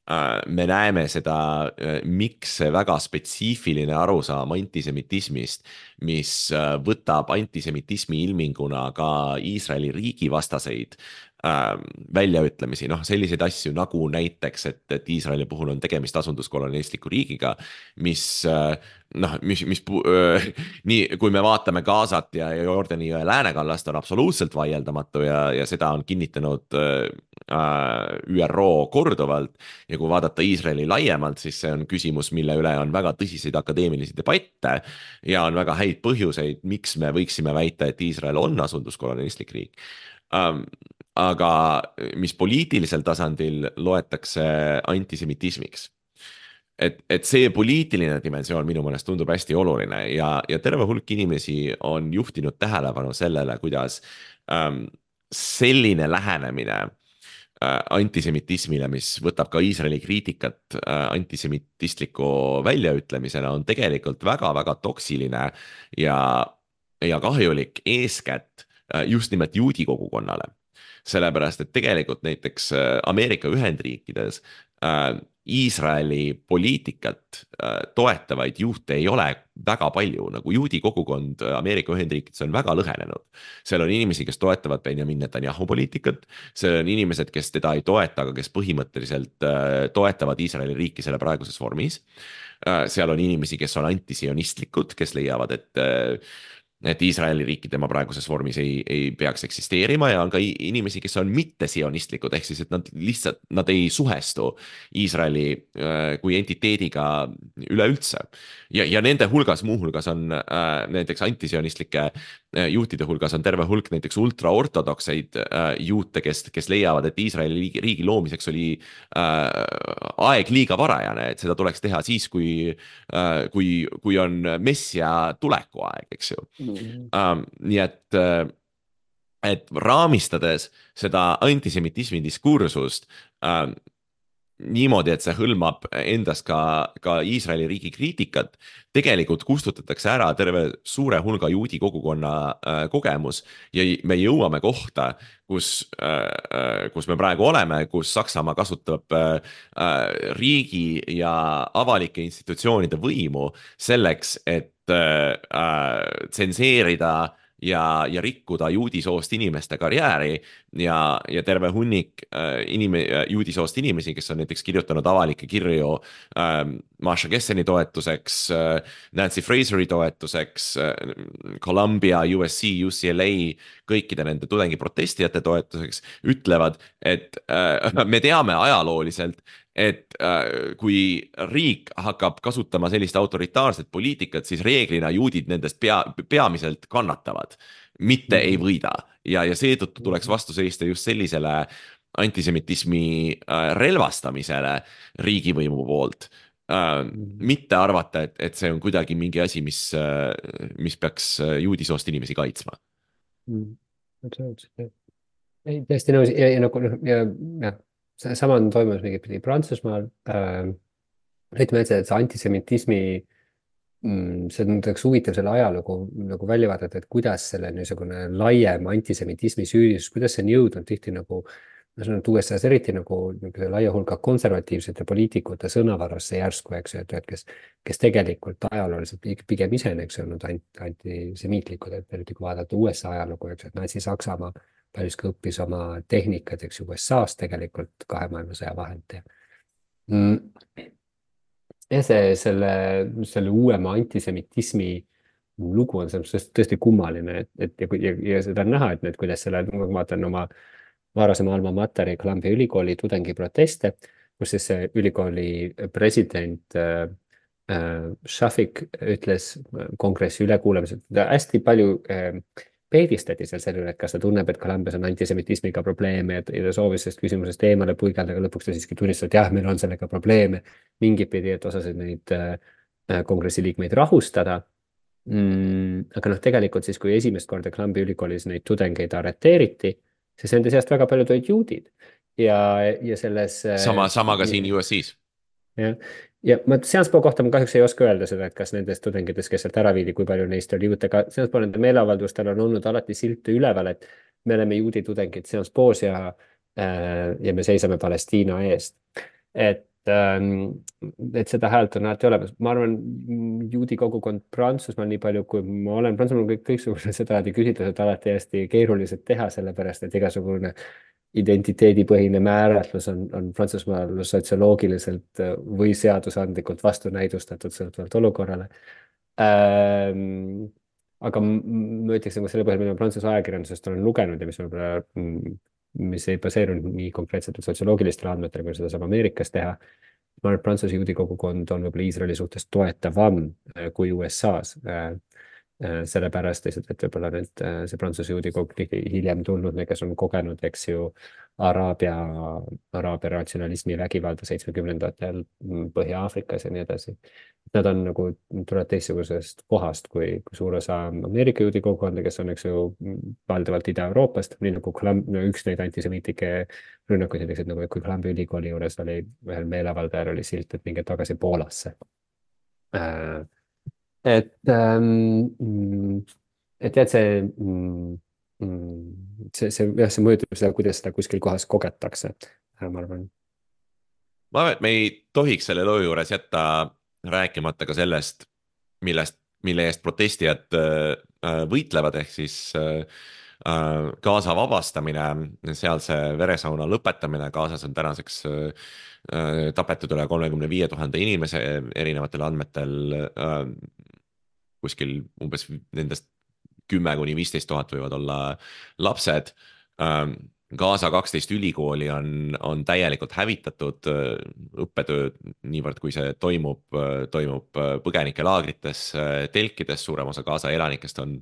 äh, me näeme seda, äh, miks see väga spetsiifiline arusaam antisemitismist, mis äh, võtab antisemitismi ilminguna ka Iisraeli riigi vastaseid äh, väljaütlemisi, noh selliseid asju nagu näiteks, et, et Iisraeli puhul on tegemist asunduskolonialistliku riigiga, mis äh, noh, mis, mis äh, nii, kui me vaatame Gazat ja Jordani jõe läänekallast, on absoluutselt vaieldamatu ja, ja seda on kinnitanud äh, Ü R O korduvalt ja kui vaadata Iisraeli laiemalt, siis see on küsimus, mille üle on väga tõsiseid akadeemilisi debatte ja on väga häid põhjuseid, miks me võiksime väita, et Iisrael on asunduskolonialistlik riik. Ähm, aga mis poliitilisel tasandil loetakse antisemitismiks. Et, et see poliitiline dimensioon minu mõnest tundub hästi oluline ja, ja terve hulk inimesi on juhtinud tähelepanu sellele, kuidas ähm, selline lähenemine äh, antisemitismile, mis võtab ka Iisraeli kriitikat äh, antisemitistliku väljaütlemisena, on tegelikult väga-väga toksiline ja, ja kahjulik eeskätt äh, just nimelt juudi kogukonnale. Sellepärast, et tegelikult näiteks äh, Ameerika Ühendriikides äh, Iisraeli poliitikat äh, toetavaid juute ei ole väga palju, nagu juudi kogukond Ameerika Ühendriikides on väga lõhenenud. Seal on inimesi, kes toetavad Benjamin Netanyahu poliitikat, seal on inimesed, kes teda ei toeta, aga kes põhimõtteliselt äh, toetavad Iisraeli riiki selle praeguses vormis. Äh, seal on inimesi, kes on antisionistlikud, kes leiavad, et äh, et Iisraeli riiki tema praeguses vormis ei, ei peaks eksisteerima ja on ka inimesi, kes on mitte-sionistlikud, ehk siis, et nad lihtsalt, nad ei suhestu Iisraeli äh, kui entiteediga üleüldse. ja, ja nende hulgas, muuhulgas on äh, näiteks antisionistlike äh, juhtide hulgas on terve hulk näiteks ultraortodokseid äh, juute, kes, kes leiavad, et Iisraeli riigi, riigi loomiseks oli äh, aeg liiga varajane, et seda tuleks teha siis, kui äh,, kui, kui on messia tulekuaeg, eks ju. Um, nii et, et raamistades seda antisemitismi diskursust um, niimoodi, et see hõlmab endas ka, ka Iisraeli riigi kriitikat, tegelikult kustutatakse ära terve suure hulga juudi kogukonna äh, kogemus ja me jõuame kohta, kus, äh, kus me praegu oleme, kus Saksamaa kasutab äh, riigi ja avalike institutsioonide võimu selleks, et äh, tsenseerida ja, ja rikkuda juudisoost inimeste karjääri ja, ja terve hunnik äh, inime, juudi soost inimesi, kes on näiteks kirjutanud avalikke kirju äh, Masha Gesseni toetuseks äh,, Nancy Fraseri toetuseks äh,, Columbia, U S C, U C L A, kõikide nende tudengiprotestijate toetuseks, ütlevad, et äh, me teame ajalooliselt, et äh, kui riik hakkab kasutama sellist autoritaarset poliitikat, siis reeglina juudid nendest pea, peamiselt kannatavad, mitte ei võida. Ja, ja seetõttu tuleks vastu seista just sellisele antisemitismi äh, relvastamisele riigivõimu poolt. Äh, mitte arvata, et, et see on kuidagi mingi asi, mis, äh, mis peaks juudisoost inimesi kaitsma. Absoluutselt. Ei, tõesti nõus ja, ja nagu ja, ja. Sama on toimunud mingit pidi Prantsusmaal äh,. ütleme, et see, et see antisemitismi mm, see on üks huvitav selle ajalugu nagu välja vaadata, et kuidas selle niisugune laiem antisemitismi süüdistus, kuidas see on jõudnud tihti nagu ma sanon, et U S A-s eriti nagu laia hulka konservatiivsete poliitikute sõnavarasse järsku, eks ju, et, et kes, kes tegelikult ajalooliselt pigem ise on, eks ju, olnud antisemiitlikud, et eriti kui vaadata U S A ajalugu, eks ju, et Natsi-Saksamaa paljuski õppis oma tehnikad, eks U S A-s tegelikult kahe maailmasõja vahelt. Ja see, selle, selle uuema antisemitismi lugu on selles tõesti kummaline, et, et ja, ja, ja seda on näha, et need, kuidas selle, ma vaatan oma varasema alma materi Columbia ülikooli tudengiproteste, kus siis ülikooli president äh, äh, Shafik ütles kongressi ülekuulamisel, et hästi palju äh, peedistati seal selle üle, et kas ta tunneb, et Columbias on antisemitismiga probleeme ja ta soovis sellest küsimusest eemale puigelda, aga lõpuks ta siiski tunnistas, et jah, meil on sellega probleeme mingit pidi, et osasid neid äh, kongressi liikmeid rahustada. Mm, aga noh, tegelikult siis, kui esimest korda Columbia ülikoolis neid tudengeid arreteeriti, siis nende seast väga paljud olid juudid ja, ja selles sama, sama ka siin U S A-s. Ja, ja ma Seanspoo kohta ma kahjuks ei oska öelda seda, et kas nendest tudengitest, kes sealt ära viidi, kui palju neist oli juute, aga Seanspoo nende meeleavaldustel on olnud alati silte üleval, et me oleme juudi tudengid Seanspoos ja, ja me seisame Palestiina eest. Et, et seda häält on alati olemas. Ma arvan, juudi kogukond Prantsusmaal nii palju, kui ma olen Prantsusmaal kõik, kõiksugused seda küsitlused alati hästi keerulised teha, sellepärast et igasugune identiteedipõhine määratlus on, on Prantsusmaal sotsioloogiliselt või seadusandlikult vastunäidustatud sõltuvalt olukorrale. Ähm, aga ma ütleks, et selle põhjal, mida Prantsuse ajakirjandusest olen lugenud ja mis, mis ei baseerunud nii konkreetselt sotsioloogilistele andmetele, kui seda saab Ameerikas teha, ma arvan, et Prantsuse juudi kogukond on võib-olla Iisraeli suhtes toetavam kui U S A-s. Sellepärast lihtsalt, et võib-olla need, see Prantsuse juudi kogukond hiljem tulnud, kes on kogenud, eks ju, Araabia, Araabia ratsionalismi vägivalda seitsmekümnendatel Põhja-Aafrikas ja nii edasi. Nad on nagu, tulevad teistsugusest kohast kui, kui suur osa Ameerika juudi kogukonda, kes on, eks ju, valdavalt Ida-Euroopast, nii nagu no, üks neid antisemiitike rünnakuid, et nagu kui Columbia ülikooli juures oli ühel meeleavaldajal oli silt, et minge tagasi Poolasse. Äh, Et, ähm, et jah, see, see, see, jah, see mõjutab seda, kuidas seda kuskil kohas kogetakse, ma arvan. Ma arvan, et me ei tohiks selle loo juures jätta rääkimata ka sellest, millest, mille eest protestijad võitlevad, ehk siis Gaza vabastamine, sealse veresauna lõpetamine. Gazas on tänaseks tapetud üle kolmekümne viie tuhande inimese, erinevatel andmetel kuskil umbes nendest kümme kuni viisteist tuhat võivad olla lapsed. Gaza kaksteist ülikooli on, on täielikult hävitatud, õppetöö niivõrd, kui see toimub, toimub põgenikelaagrites, telkides, suurem osa Gaza elanikest on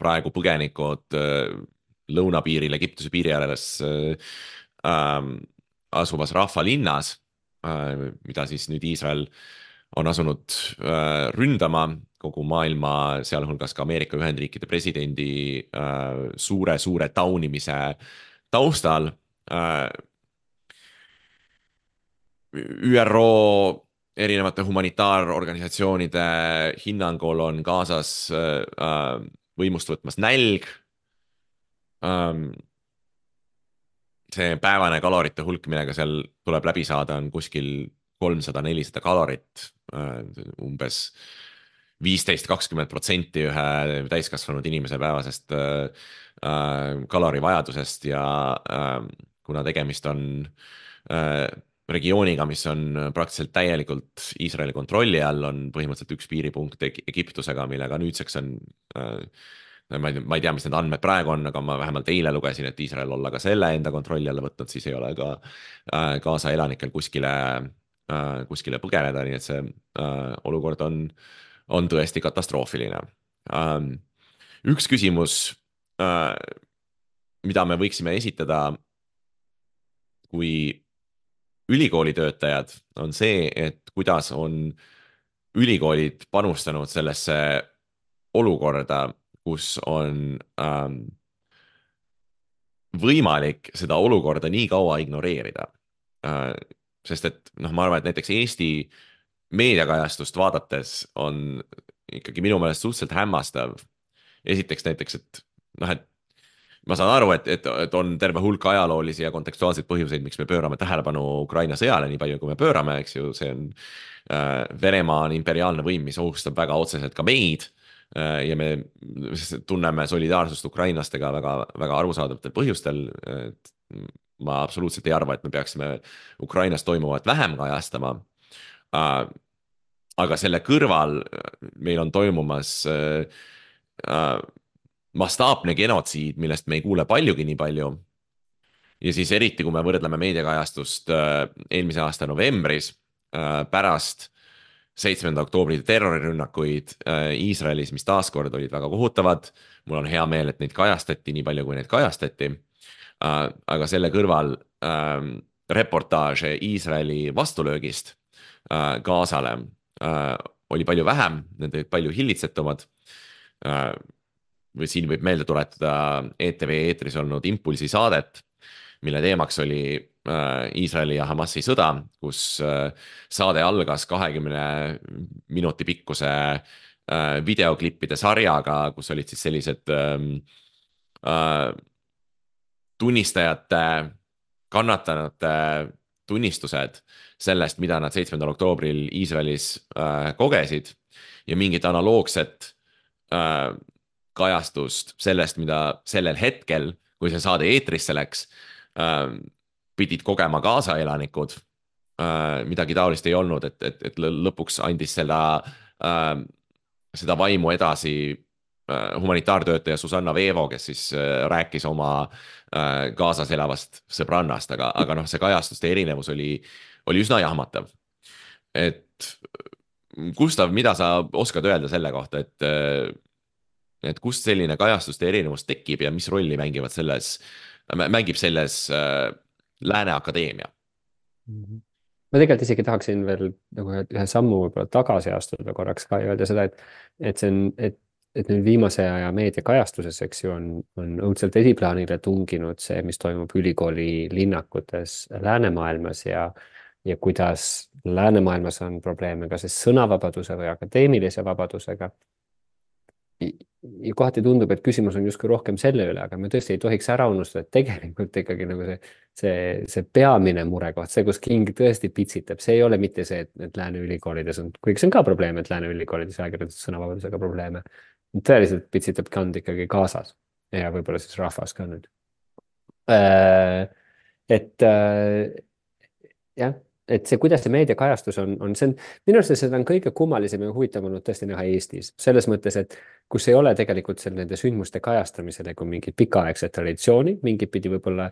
praegu põgenikud lõunapiiril Egiptuse piiri ääres asuvas rahvalinnas, mida siis nüüd Iisrael on asunud ründama kogu maailma, sealhulgas ka Ameerika Ühendriikide presidendi suure-suure taunimise taustal. ÜRO erinevate humanitaarorganisatsioonide hinnangul on Gazas võimust võtmas nälg. See päevane kalorite hulk, millega seal tuleb läbi saada, on kuskil kolmsada nelisada kalorit, umbes viisteist kakskümmend protsenti ühe täiskasvanud inimese päevasest kalorivajadusest ja kuna tegemist on regiooniga, mis on praktiliselt täielikult Iisraeli kontrolli all, on põhimõtteliselt üks piiripunkt Egiptusega, millega nüüdseks on, ma ei, ma ei tea, mis need andmed praegu on, aga ma vähemalt eile lugesin, et Iisrael olla ka selle enda kontrolli alla võtnud, siis ei ole ka Gaza elanikel kuskile, kuskile põgeneda, nii et see olukord on on tõesti katastroofiline. Üks küsimus, mida me võiksime esitada kui ülikoolitöötajad, on see, et kuidas on ülikoolid panustanud sellesse olukorda, kus on ähm, võimalik seda olukorda nii kaua ignoreerida. Äh, sest et noh, ma arvan, et näiteks Eesti meediakajastust vaadates on ikkagi minu meelest suhteliselt hämmastav. Esiteks näiteks, et noh, et ma saan aru, et, et, et on terve hulk ajaloolisi ja kontekstuaalseid põhjuseid, miks me pöörame tähelepanu Ukraina sõjale nii palju, kui me pöörame, eks ju, see on äh, Venemaa on imperiaalne võim, mis ohustab väga otseselt ka meid äh, ja me tunneme solidaarsust ukrainlastega väga, väga arusaadavatel põhjustel. Et ma absoluutselt ei arva, et me peaksime Ukrainas toimuvat vähem kajastama. Uh, aga selle kõrval meil on toimumas uh, uh, mastaapne genotsiid, millest me ei kuule paljugi nii palju. Ja siis eriti, kui me võrdleme meediakajastust uh, eelmise aasta novembris uh, pärast seitsmenda oktoobri terrorirünnakuid uh, Iisraelis, mis taaskord olid väga kohutavad. Mul on hea meel, et neid kajastati nii palju, kui neid kajastati. Uh, aga selle kõrval uh, reportaaže Iisraeli vastulöögist Gazale äh, oli palju vähem, need olid palju hillitsetumad. Äh, või siin võib meelde tuletada E T V eetris olnud Impulsi saadet, mille teemaks oli äh, Iisraeli ja Hamasi sõda, kus äh, saade algas kahekümne minuti pikkuse äh, videoklippide sarjaga, kus olid siis sellised äh, äh, tunnistajate, kannatanute tunnistused sellest, mida nad seitsmendal oktoobril Iisraelis äh, kogesid ja mingit analoogset äh, kajastust sellest, mida sellel hetkel, kui see saade eetrisse läks, äh, pidid kogema Gaza elanikud. Äh, midagi taolist ei olnud, et, et, et lõpuks andis seda, äh, seda vaimu edasi äh, humanitaartöötaja Susanna Veevo, kes siis äh, rääkis oma äh, Gazas elavast sõbrannast, aga, aga noh, see kajastuste erinevus oli oli üsna jahmatav. Et Gustav, mida sa oskad öelda selle kohta, et, et kust selline kajastuste erinevus tekib ja mis rolli mängivad selles, mängib selles äh, Lääne Akadeemia? Ma tegelikult isegi tahaksin veel nagu ühe sammu võib-olla tagasi astuda korraks ka ja öelda seda, et, et see on, et et nüüd viimase aja meediakajastuses, eks ju, on, on õudselt esiplaanile tunginud see, mis toimub ülikooli linnakutes läänemaailmas ja ja kuidas läänemaailmas on probleeme ka siis sõnavabaduse või akadeemilise vabadusega. Ja kohati tundub, et küsimus on justkui rohkem selle üle, aga me tõesti ei tohiks ära unustada, et tegelikult ikkagi nagu see, see, see peamine murekoht, see, kus King tõesti pitsitab, see ei ole mitte see, et, et lääne ülikoolides on, kuigi see on ka probleem, et lääne ülikoolides ajakirjandus sõnavabadusega probleeme. Tõeliselt pitsitab kand ikkagi Gazas ja võib-olla siis rahvas ka nüüd. Et jah, et see, kuidas see meediakajastus on, on see on, minu arust seda on kõige kummalisem ja huvitav olnud tõesti näha Eestis. Selles mõttes, et kus ei ole tegelikult seal nende sündmuste kajastamisel nagu mingit pikaaegset traditsiooni, mingit pidi võib-olla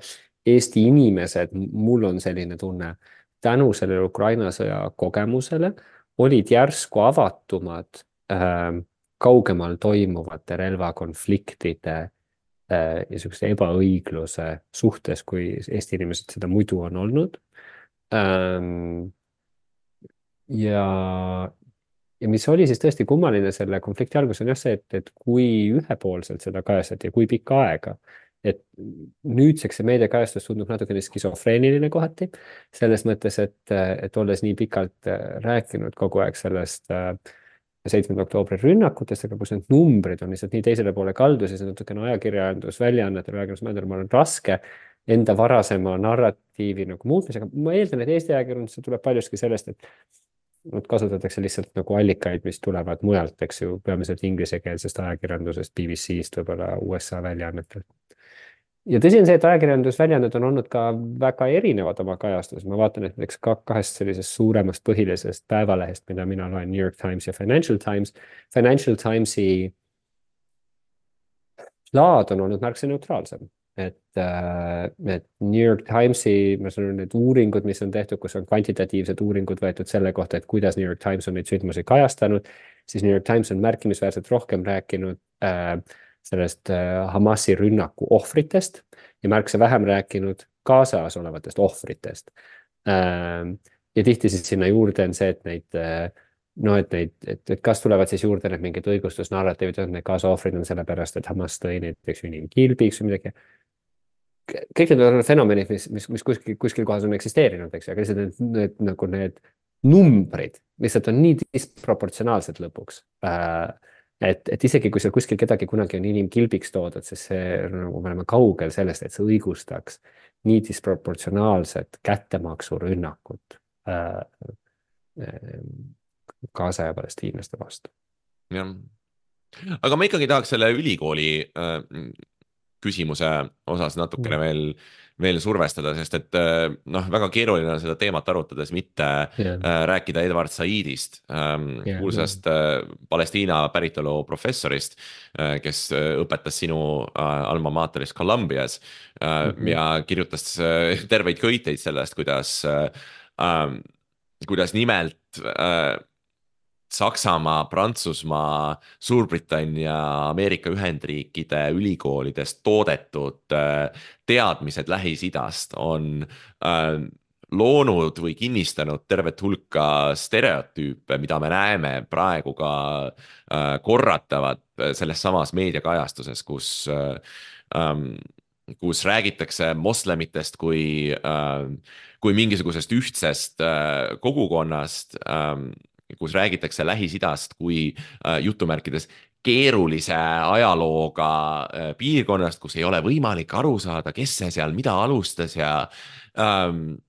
Eesti inimesed, mul on selline tunne, tänu sellele Ukraina sõja kogemusele, olid järsku avatumad äh, kaugemal toimuvate relvakonfliktide äh, ja sellise ebaõigluse suhtes, kui Eesti inimesed seda muidu on olnud. Ähm, ja, ja mis oli siis tõesti kummaline selle konflikti algus on jah see, et, et kui ühepoolselt seda kajastati ja kui pikka aega, et nüüdseks see meediakajastus tundub natukene skisofreeniline kohati, selles mõttes, et, et olles nii pikalt rääkinud kogu aeg sellest seitsmenda oktoobri rünnakutest, aga kus need numbrid on lihtsalt nii teisele poole kaldu, siis natukene ajakirjandus, väljaannetel, ajakirjandusmändel on raske enda varasema narratiivi nagu muutmisega. Ma eeldan, et Eesti ajakirjandus tuleb paljuski sellest, et nad kasutatakse lihtsalt nagu allikaid, mis tulevad mujalt, eks ju, peamiselt inglisekeelsest ajakirjandusest, B B C-st, võib-olla U S A väljaannetel. Ja tõsi on see, et ajakirjandusväljaanned on olnud ka väga erinevad oma kajastus. Ma vaatan, et näiteks kahest sellisest suuremast põhilisest päevalehest, mida mina loen, New York Times ja Financial Times. Financial Timesi laad on olnud märksa neutraalsem. Et, et New York Timesi, ma sanon, need uuringud, mis on tehtud, kus on kvantitatiivsed uuringud võetud selle kohta, et kuidas New York Times on neid sündmusi kajastanud, siis New York Times on märkimisväärselt rohkem rääkinud äh, sellest äh, Hamasi rünnaku ohvritest ja märksa vähem rääkinud kaasas olevatest ohvritest. Äh, ja tihti siis sinna juurde on see, et neid äh, no, et neid, et, et kas tulevad siis juurde need mingid õigustusnarratiivid, et need kaasa ohvrid on sellepärast, et Hamas tõi näiteks inimkilbiks või midagi. Kõik need on fenomenid, mis, mis, mis kuskil, kuskil kohas on eksisteerinud, eks, aga lihtsalt need, need, nagu need numbrid lihtsalt on nii disproportsionaalsed lõpuks. Et, et isegi kui seal kuskil kedagi kunagi on inimkilbiks toodud, siis see nagu me oleme kaugel sellest, et see õigustaks nii disproportsionaalset kättemaksu rünnakut Gaza ja palestiinlaste vastu. jah. Aga ma ikkagi tahaks selle ülikooli äh, küsimuse osas natukene mm. veel, veel survestada, sest et noh, väga keeruline on seda teemat arutades mitte yeah. äh, rääkida Edward Saidist, ähm, yeah, kuulsast yeah. äh, Palestiina päritolu professorist, äh, kes õpetas sinu äh, alma mater'is Columbias äh, mm-hmm. ja kirjutas äh, terveid köiteid sellest, kuidas, äh, äh, kuidas nimelt äh, Saksamaa, Prantsusmaa, Suurbritannia, Ameerika Ühendriikide ülikoolidest toodetud teadmised Lähis-Idast on loonud või kinnistanud tervet hulka stereotüüpe, mida me näeme praegu ka korratavat selles samas meediakajastuses, kus, kus räägitakse moslemitest kui, kui mingisugusest ühtsest kogukonnast, kus räägitakse Lähis-Idast kui äh, jutumärkides keerulise ajalooga äh, piirkonnast, kus ei ole võimalik aru saada, kes see seal mida alustas ja, ähm,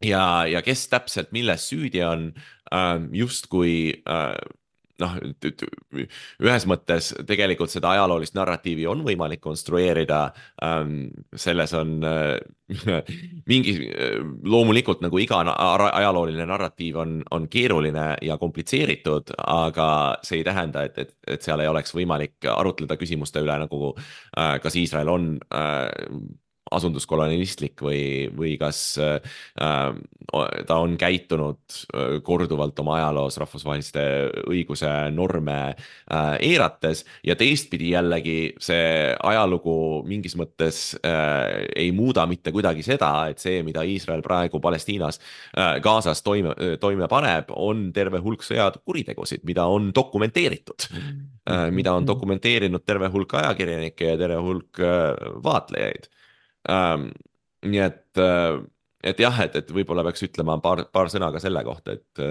ja, ja kes täpselt milles süüdi on, ähm, justkui äh, noh, ühes mõttes tegelikult seda ajaloolist narratiivi on võimalik konstrueerida, ähm, selles on äh, mingi, loomulikult nagu iga ajalooline narratiiv on, on keeruline ja komplitseeritud, aga see ei tähenda, et, et, et seal ei oleks võimalik arutleda küsimuste üle, nagu äh, kas Iisrael on äh, asunduskolonialistlik või, või kas äh, ta on käitunud korduvalt oma ajaloos rahvusvaheliste õiguse norme äh, eirates ja teistpidi jällegi see ajalugu mingis mõttes äh, ei muuda mitte kuidagi seda, et see, mida Iisrael praegu Palestiinas äh, Gazas toime, toime paneb, on terve hulk sõjakuritegusid, mida on dokumenteeritud äh,, mida on dokumenteerinud terve hulk ajakirjanikke ja terve hulk äh, vaatlejaid. Um, nii et, et jah, et, et võib-olla peaks ütlema paar, paar sõna ka selle kohta, et,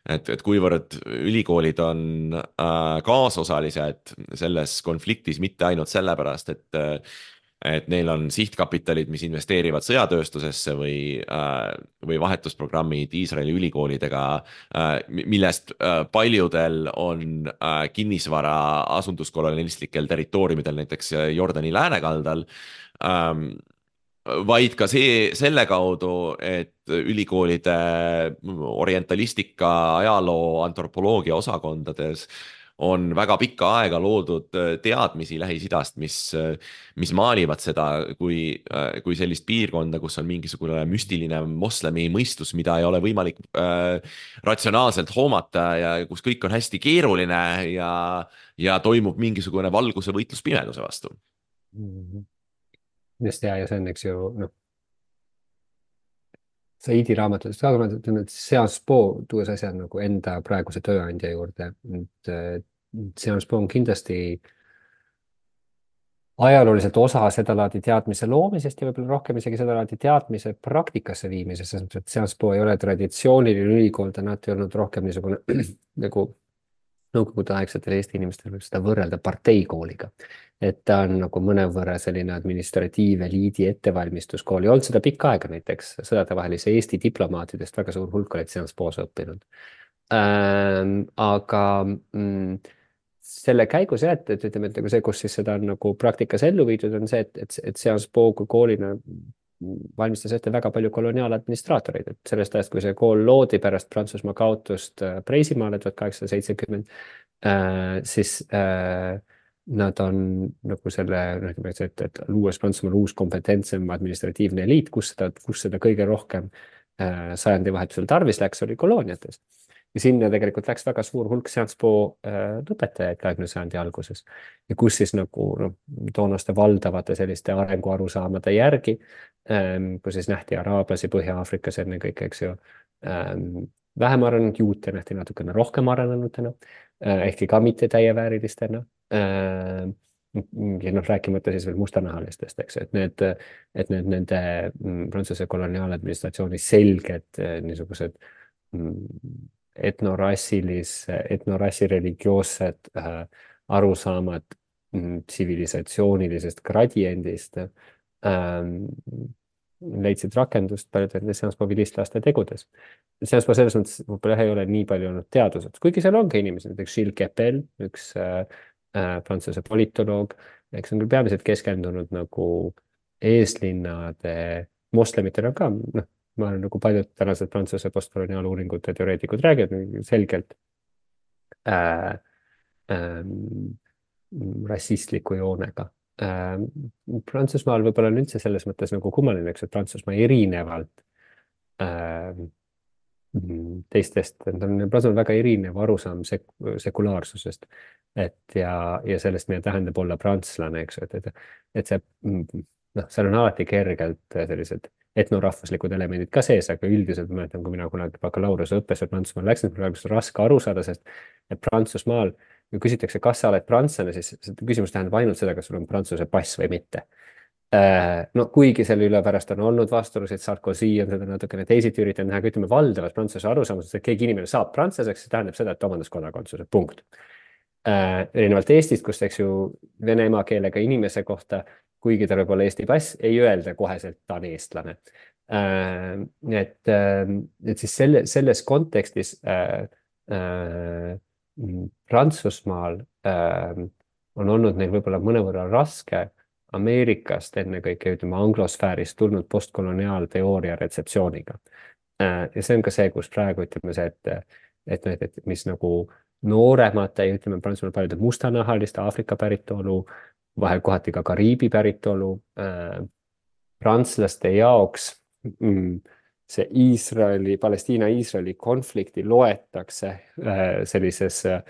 et, et kuivõrd ülikoolid on äh, kaasosalised selles konfliktis mitte ainult sellepärast, et, et neil on sihtkapitalid, mis investeerivad sõjatööstusesse või, äh, või vahetusprogrammid Iisraeli ülikoolidega, äh, millest äh, paljudel on äh, kinnisvara asunduskolonialistlikel territooriumidel, näiteks Jordani läänekaldal, Um, vaid ka see, selle kaudu, et ülikoolide orientalistika, ajaloo, antropoloogia osakondades on väga pikka aega loodud teadmisi Lähis-Idast, mis, mis maalivad seda kui, kui sellist piirkonda, kus on mingisugune müstiline moslemi mõistus, mida ei ole võimalik äh, ratsionaalselt hoomata ja kus kõik on hästi keeruline ja, ja toimub mingisugune valguse võitlus pimeduse vastu. Just hea ja see on, eks ju, noh, Saidi raamatutest ka, aga ma ütlen, et Sciences Po tuues asja nagu enda praeguse tööandja juurde, et Sciences Po on kindlasti ajalooliselt osa seda laadi teadmise loomisest ja võib-olla rohkem isegi seda laadi teadmise praktikasse viimises, sest et Sciences Po ei ole traditsiooniline ülikool, ta on alati olnud rohkem niisugune nagu nõukogudeaegsetel Eesti inimestel võib seda võrrelda parteikooliga. Et ta on nagu mõnevõrra selline administratiiveliidi ettevalmistuskool ja olnud seda pikka aega näiteks sõdadevahelise Eesti diplomaatidest väga suur hulk olid Sciences Po's õppinud. Ähm, aga mm, selle käigus jah, et, et ütleme, et see, kus siis seda on nagu praktikas ellu viidud, on see, et, et, et Sciences Po kui koolina valmistas ette väga palju koloniaaladministraatoreid, et sellest ajast, kui see kool loodi pärast Prantsusmaa kaotust Preisimaale tuhat kaheksasada seitsekümmend, äh, siis äh, nad on nagu selle, et, et luues Prantsusmaal uus kompetentsem administratiivne eliit, kus seda, kus seda kõige rohkem äh, sajandi vahetusel tarvis läks, oli kolooniates. Ja sinna tegelikult läks väga suur hulk Sciences Po äh, lõpetajaid kahekümnenda sajandi alguses. Ja kus siis nagu no, toonaste valdavate selliste arenguarusaamade järgi, ähm, kus siis nähti araablasi Põhja-Afrikas enne kõik, eks ju, ähm, vähem arenenud juute nähti natukene rohkem arenenutena, äh, ehkki ka mitte täieväärilistena. Äh, ja noh, rääkimata siis veel mustanahalistest, eks, et need, et need nende Prantsuse koloniaaladministratsiooni selged niisugused etnorassilis, etnorassi religioossed äh, arusaamad tsivilisatsioonilisest gradiendist ähm, leidsid rakendust paljude Sciences Po vilistlaste tegudes. Sciences Po selles mõttes võib-olla ei ole nii palju olnud teadused, kuigi seal on ka inimesed, näiteks Gilles Kepel, üks äh, äh, prantsuse politoloog, eks on küll peamiselt keskendunud nagu eeslinnade moslemitele ka, noh, ma olen nagu paljud tänased Prantsuse postkoloniaaluuringute teoreetikud räägivad selgelt äh, äh, rassistliku joonega. Äh, Prantsusmaal võib-olla on üldse selles mõttes nagu kummaline, eks, et Prantsusmaa erinevalt äh, teistest, Prantsusmaal on väga erinev arusaam sek sekulaarsusest, et ja, ja sellest, mida tähendab olla prantslane, eks, et, et, et see, noh, seal on alati kergelt sellised etnorahvuslikud elemendid ka sees, aga üldiselt ma mäletan, kui mina kunagi bakalaureuse õppesse Prantsusmaal läksin, praegu on raske aru saada, sest et Prantsusmaal, kui küsitakse, kas sa oled prantslane, siis küsimus tähendab ainult seda, kas sul on prantsuse pass või mitte. No kuigi selle üle pärast on olnud vastuolusid, Sarkozy on seda natukene teisiti üritanud näha, kui ütleme valdavas prantsuse arusaamas, et keegi inimene saab prantslaseks, see tähendab seda, et omandas kodakondsuse, punkt. Erinevalt Eestist, kus eks ju vene emakeelega inimese kohta, kuigi tal võib olla Eesti pass, ei öelda koheselt, ta on eestlane. Äh, et, et siis selle, selles kontekstis äh, äh, Prantsusmaal äh, on olnud neil võib-olla mõnevõrra raske Ameerikast ennekõike, ütleme, anglosfäärist tulnud postkoloniaalteooria retseptsiooniga. Äh, ja see on ka see, kus praegu ütleme see, et, et, et, et mis nagu nooremate, ütleme, Prantsusmaal paljude mustanahaliste Aafrika päritolu, vahel kohati ka Kariibi päritolu äh, prantslaste jaoks mm, see Iisraeli, Palestiina-Iisraeli konflikti loetakse äh, sellises äh,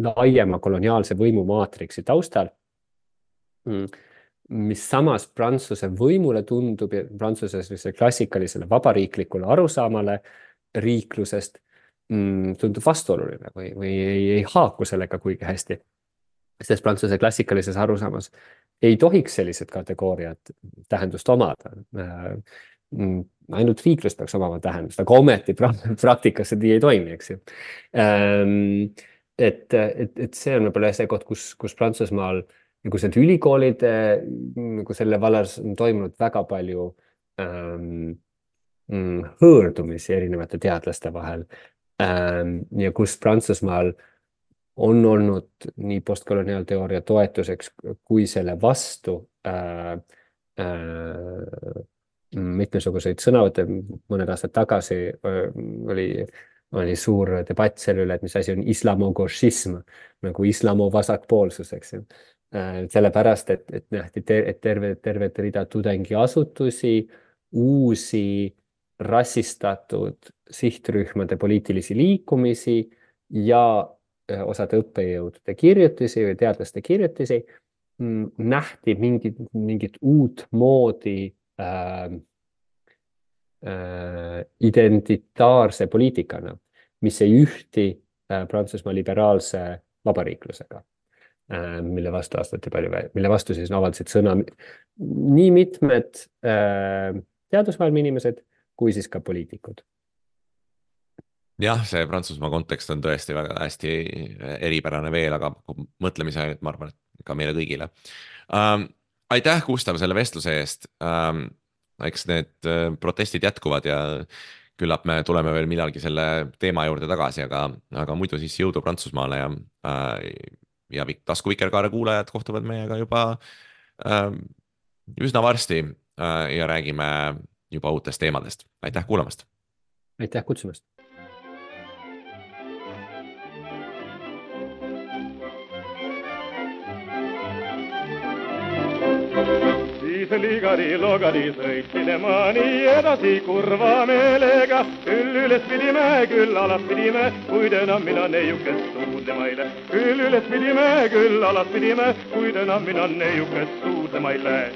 laiema koloniaalse võimumaatriksi taustal, mm, mis samas Prantsuse võimule tundub ja Prantsuse klassikalisele vabariiklikule arusaamale riiklusest mm, tundub vastuoluline või, või ei, ei haaku sellega kuigi hästi. Sest Prantsuse klassikalises arusaamas ei tohiks sellised kategooriad tähendust omada. Ainult riiklus peaks omama tähendust, aga ometi praktikas see ei toimi, eks ju. Et, et, et see on võib-olla see koht, kus, kus Prantsusmaal nagu need ülikoolid nagu selle vallas on toimunud väga palju ähm, hõõrdumisi erinevate teadlaste vahel ähm, ja kus Prantsusmaal on olnud nii postkoloniaalteooria toetuseks kui selle vastu äh, äh, mitmesuguseid sõnavõtte, mõned aastad tagasi oli, oli suur debatt selle üle, et mis asi on islamogošism, nagu islamu vasakpoolsus, eks ju. Sellepärast, et, et nähti, et terve, tervet rida tudengiasutusi, uusi rassistatud sihtrühmade poliitilisi liikumisi ja osade õppejõudude kirjutisi või teadlaste kirjutisi nähti mingit, mingit uut moodi äh, äh, identitaarse poliitikana, mis ei ühti äh, Prantsusmaa liberaalse vabariiklusega, äh, mille vastu astati palju, mille vastu siis avaldasid sõna nii mitmed äh, teadusmaailma inimesed kui siis ka poliitikud. Jah, see Prantsusmaa kontekst on tõesti väga hästi eripärane veel, aga mõtlemise ainult, ma arvan, et ka meile kõigile. Ähm, aitäh, Gustav, selle vestluse eest. Ähm, eks need protestid jätkuvad ja küllap me tuleme veel millalgi selle teema juurde tagasi, aga, aga muidu siis jõudu Prantsusmaale ja, ja Tasku Vikerkaare kuulajad kohtuvad meiega juba äh, üsna varsti äh, ja räägime juba uutest teemadest. Aitäh kuulamast! Aitäh kutsumast! Ligari logari sõitsin ma nii edasi kurva meelega, küll üles pidime, küll alas pidime, kuid enam mina neiukest suudlema ei lähe. Küll üles pidime, küll alas pidime, kuid enam mina neiukest suudlema ei lähe.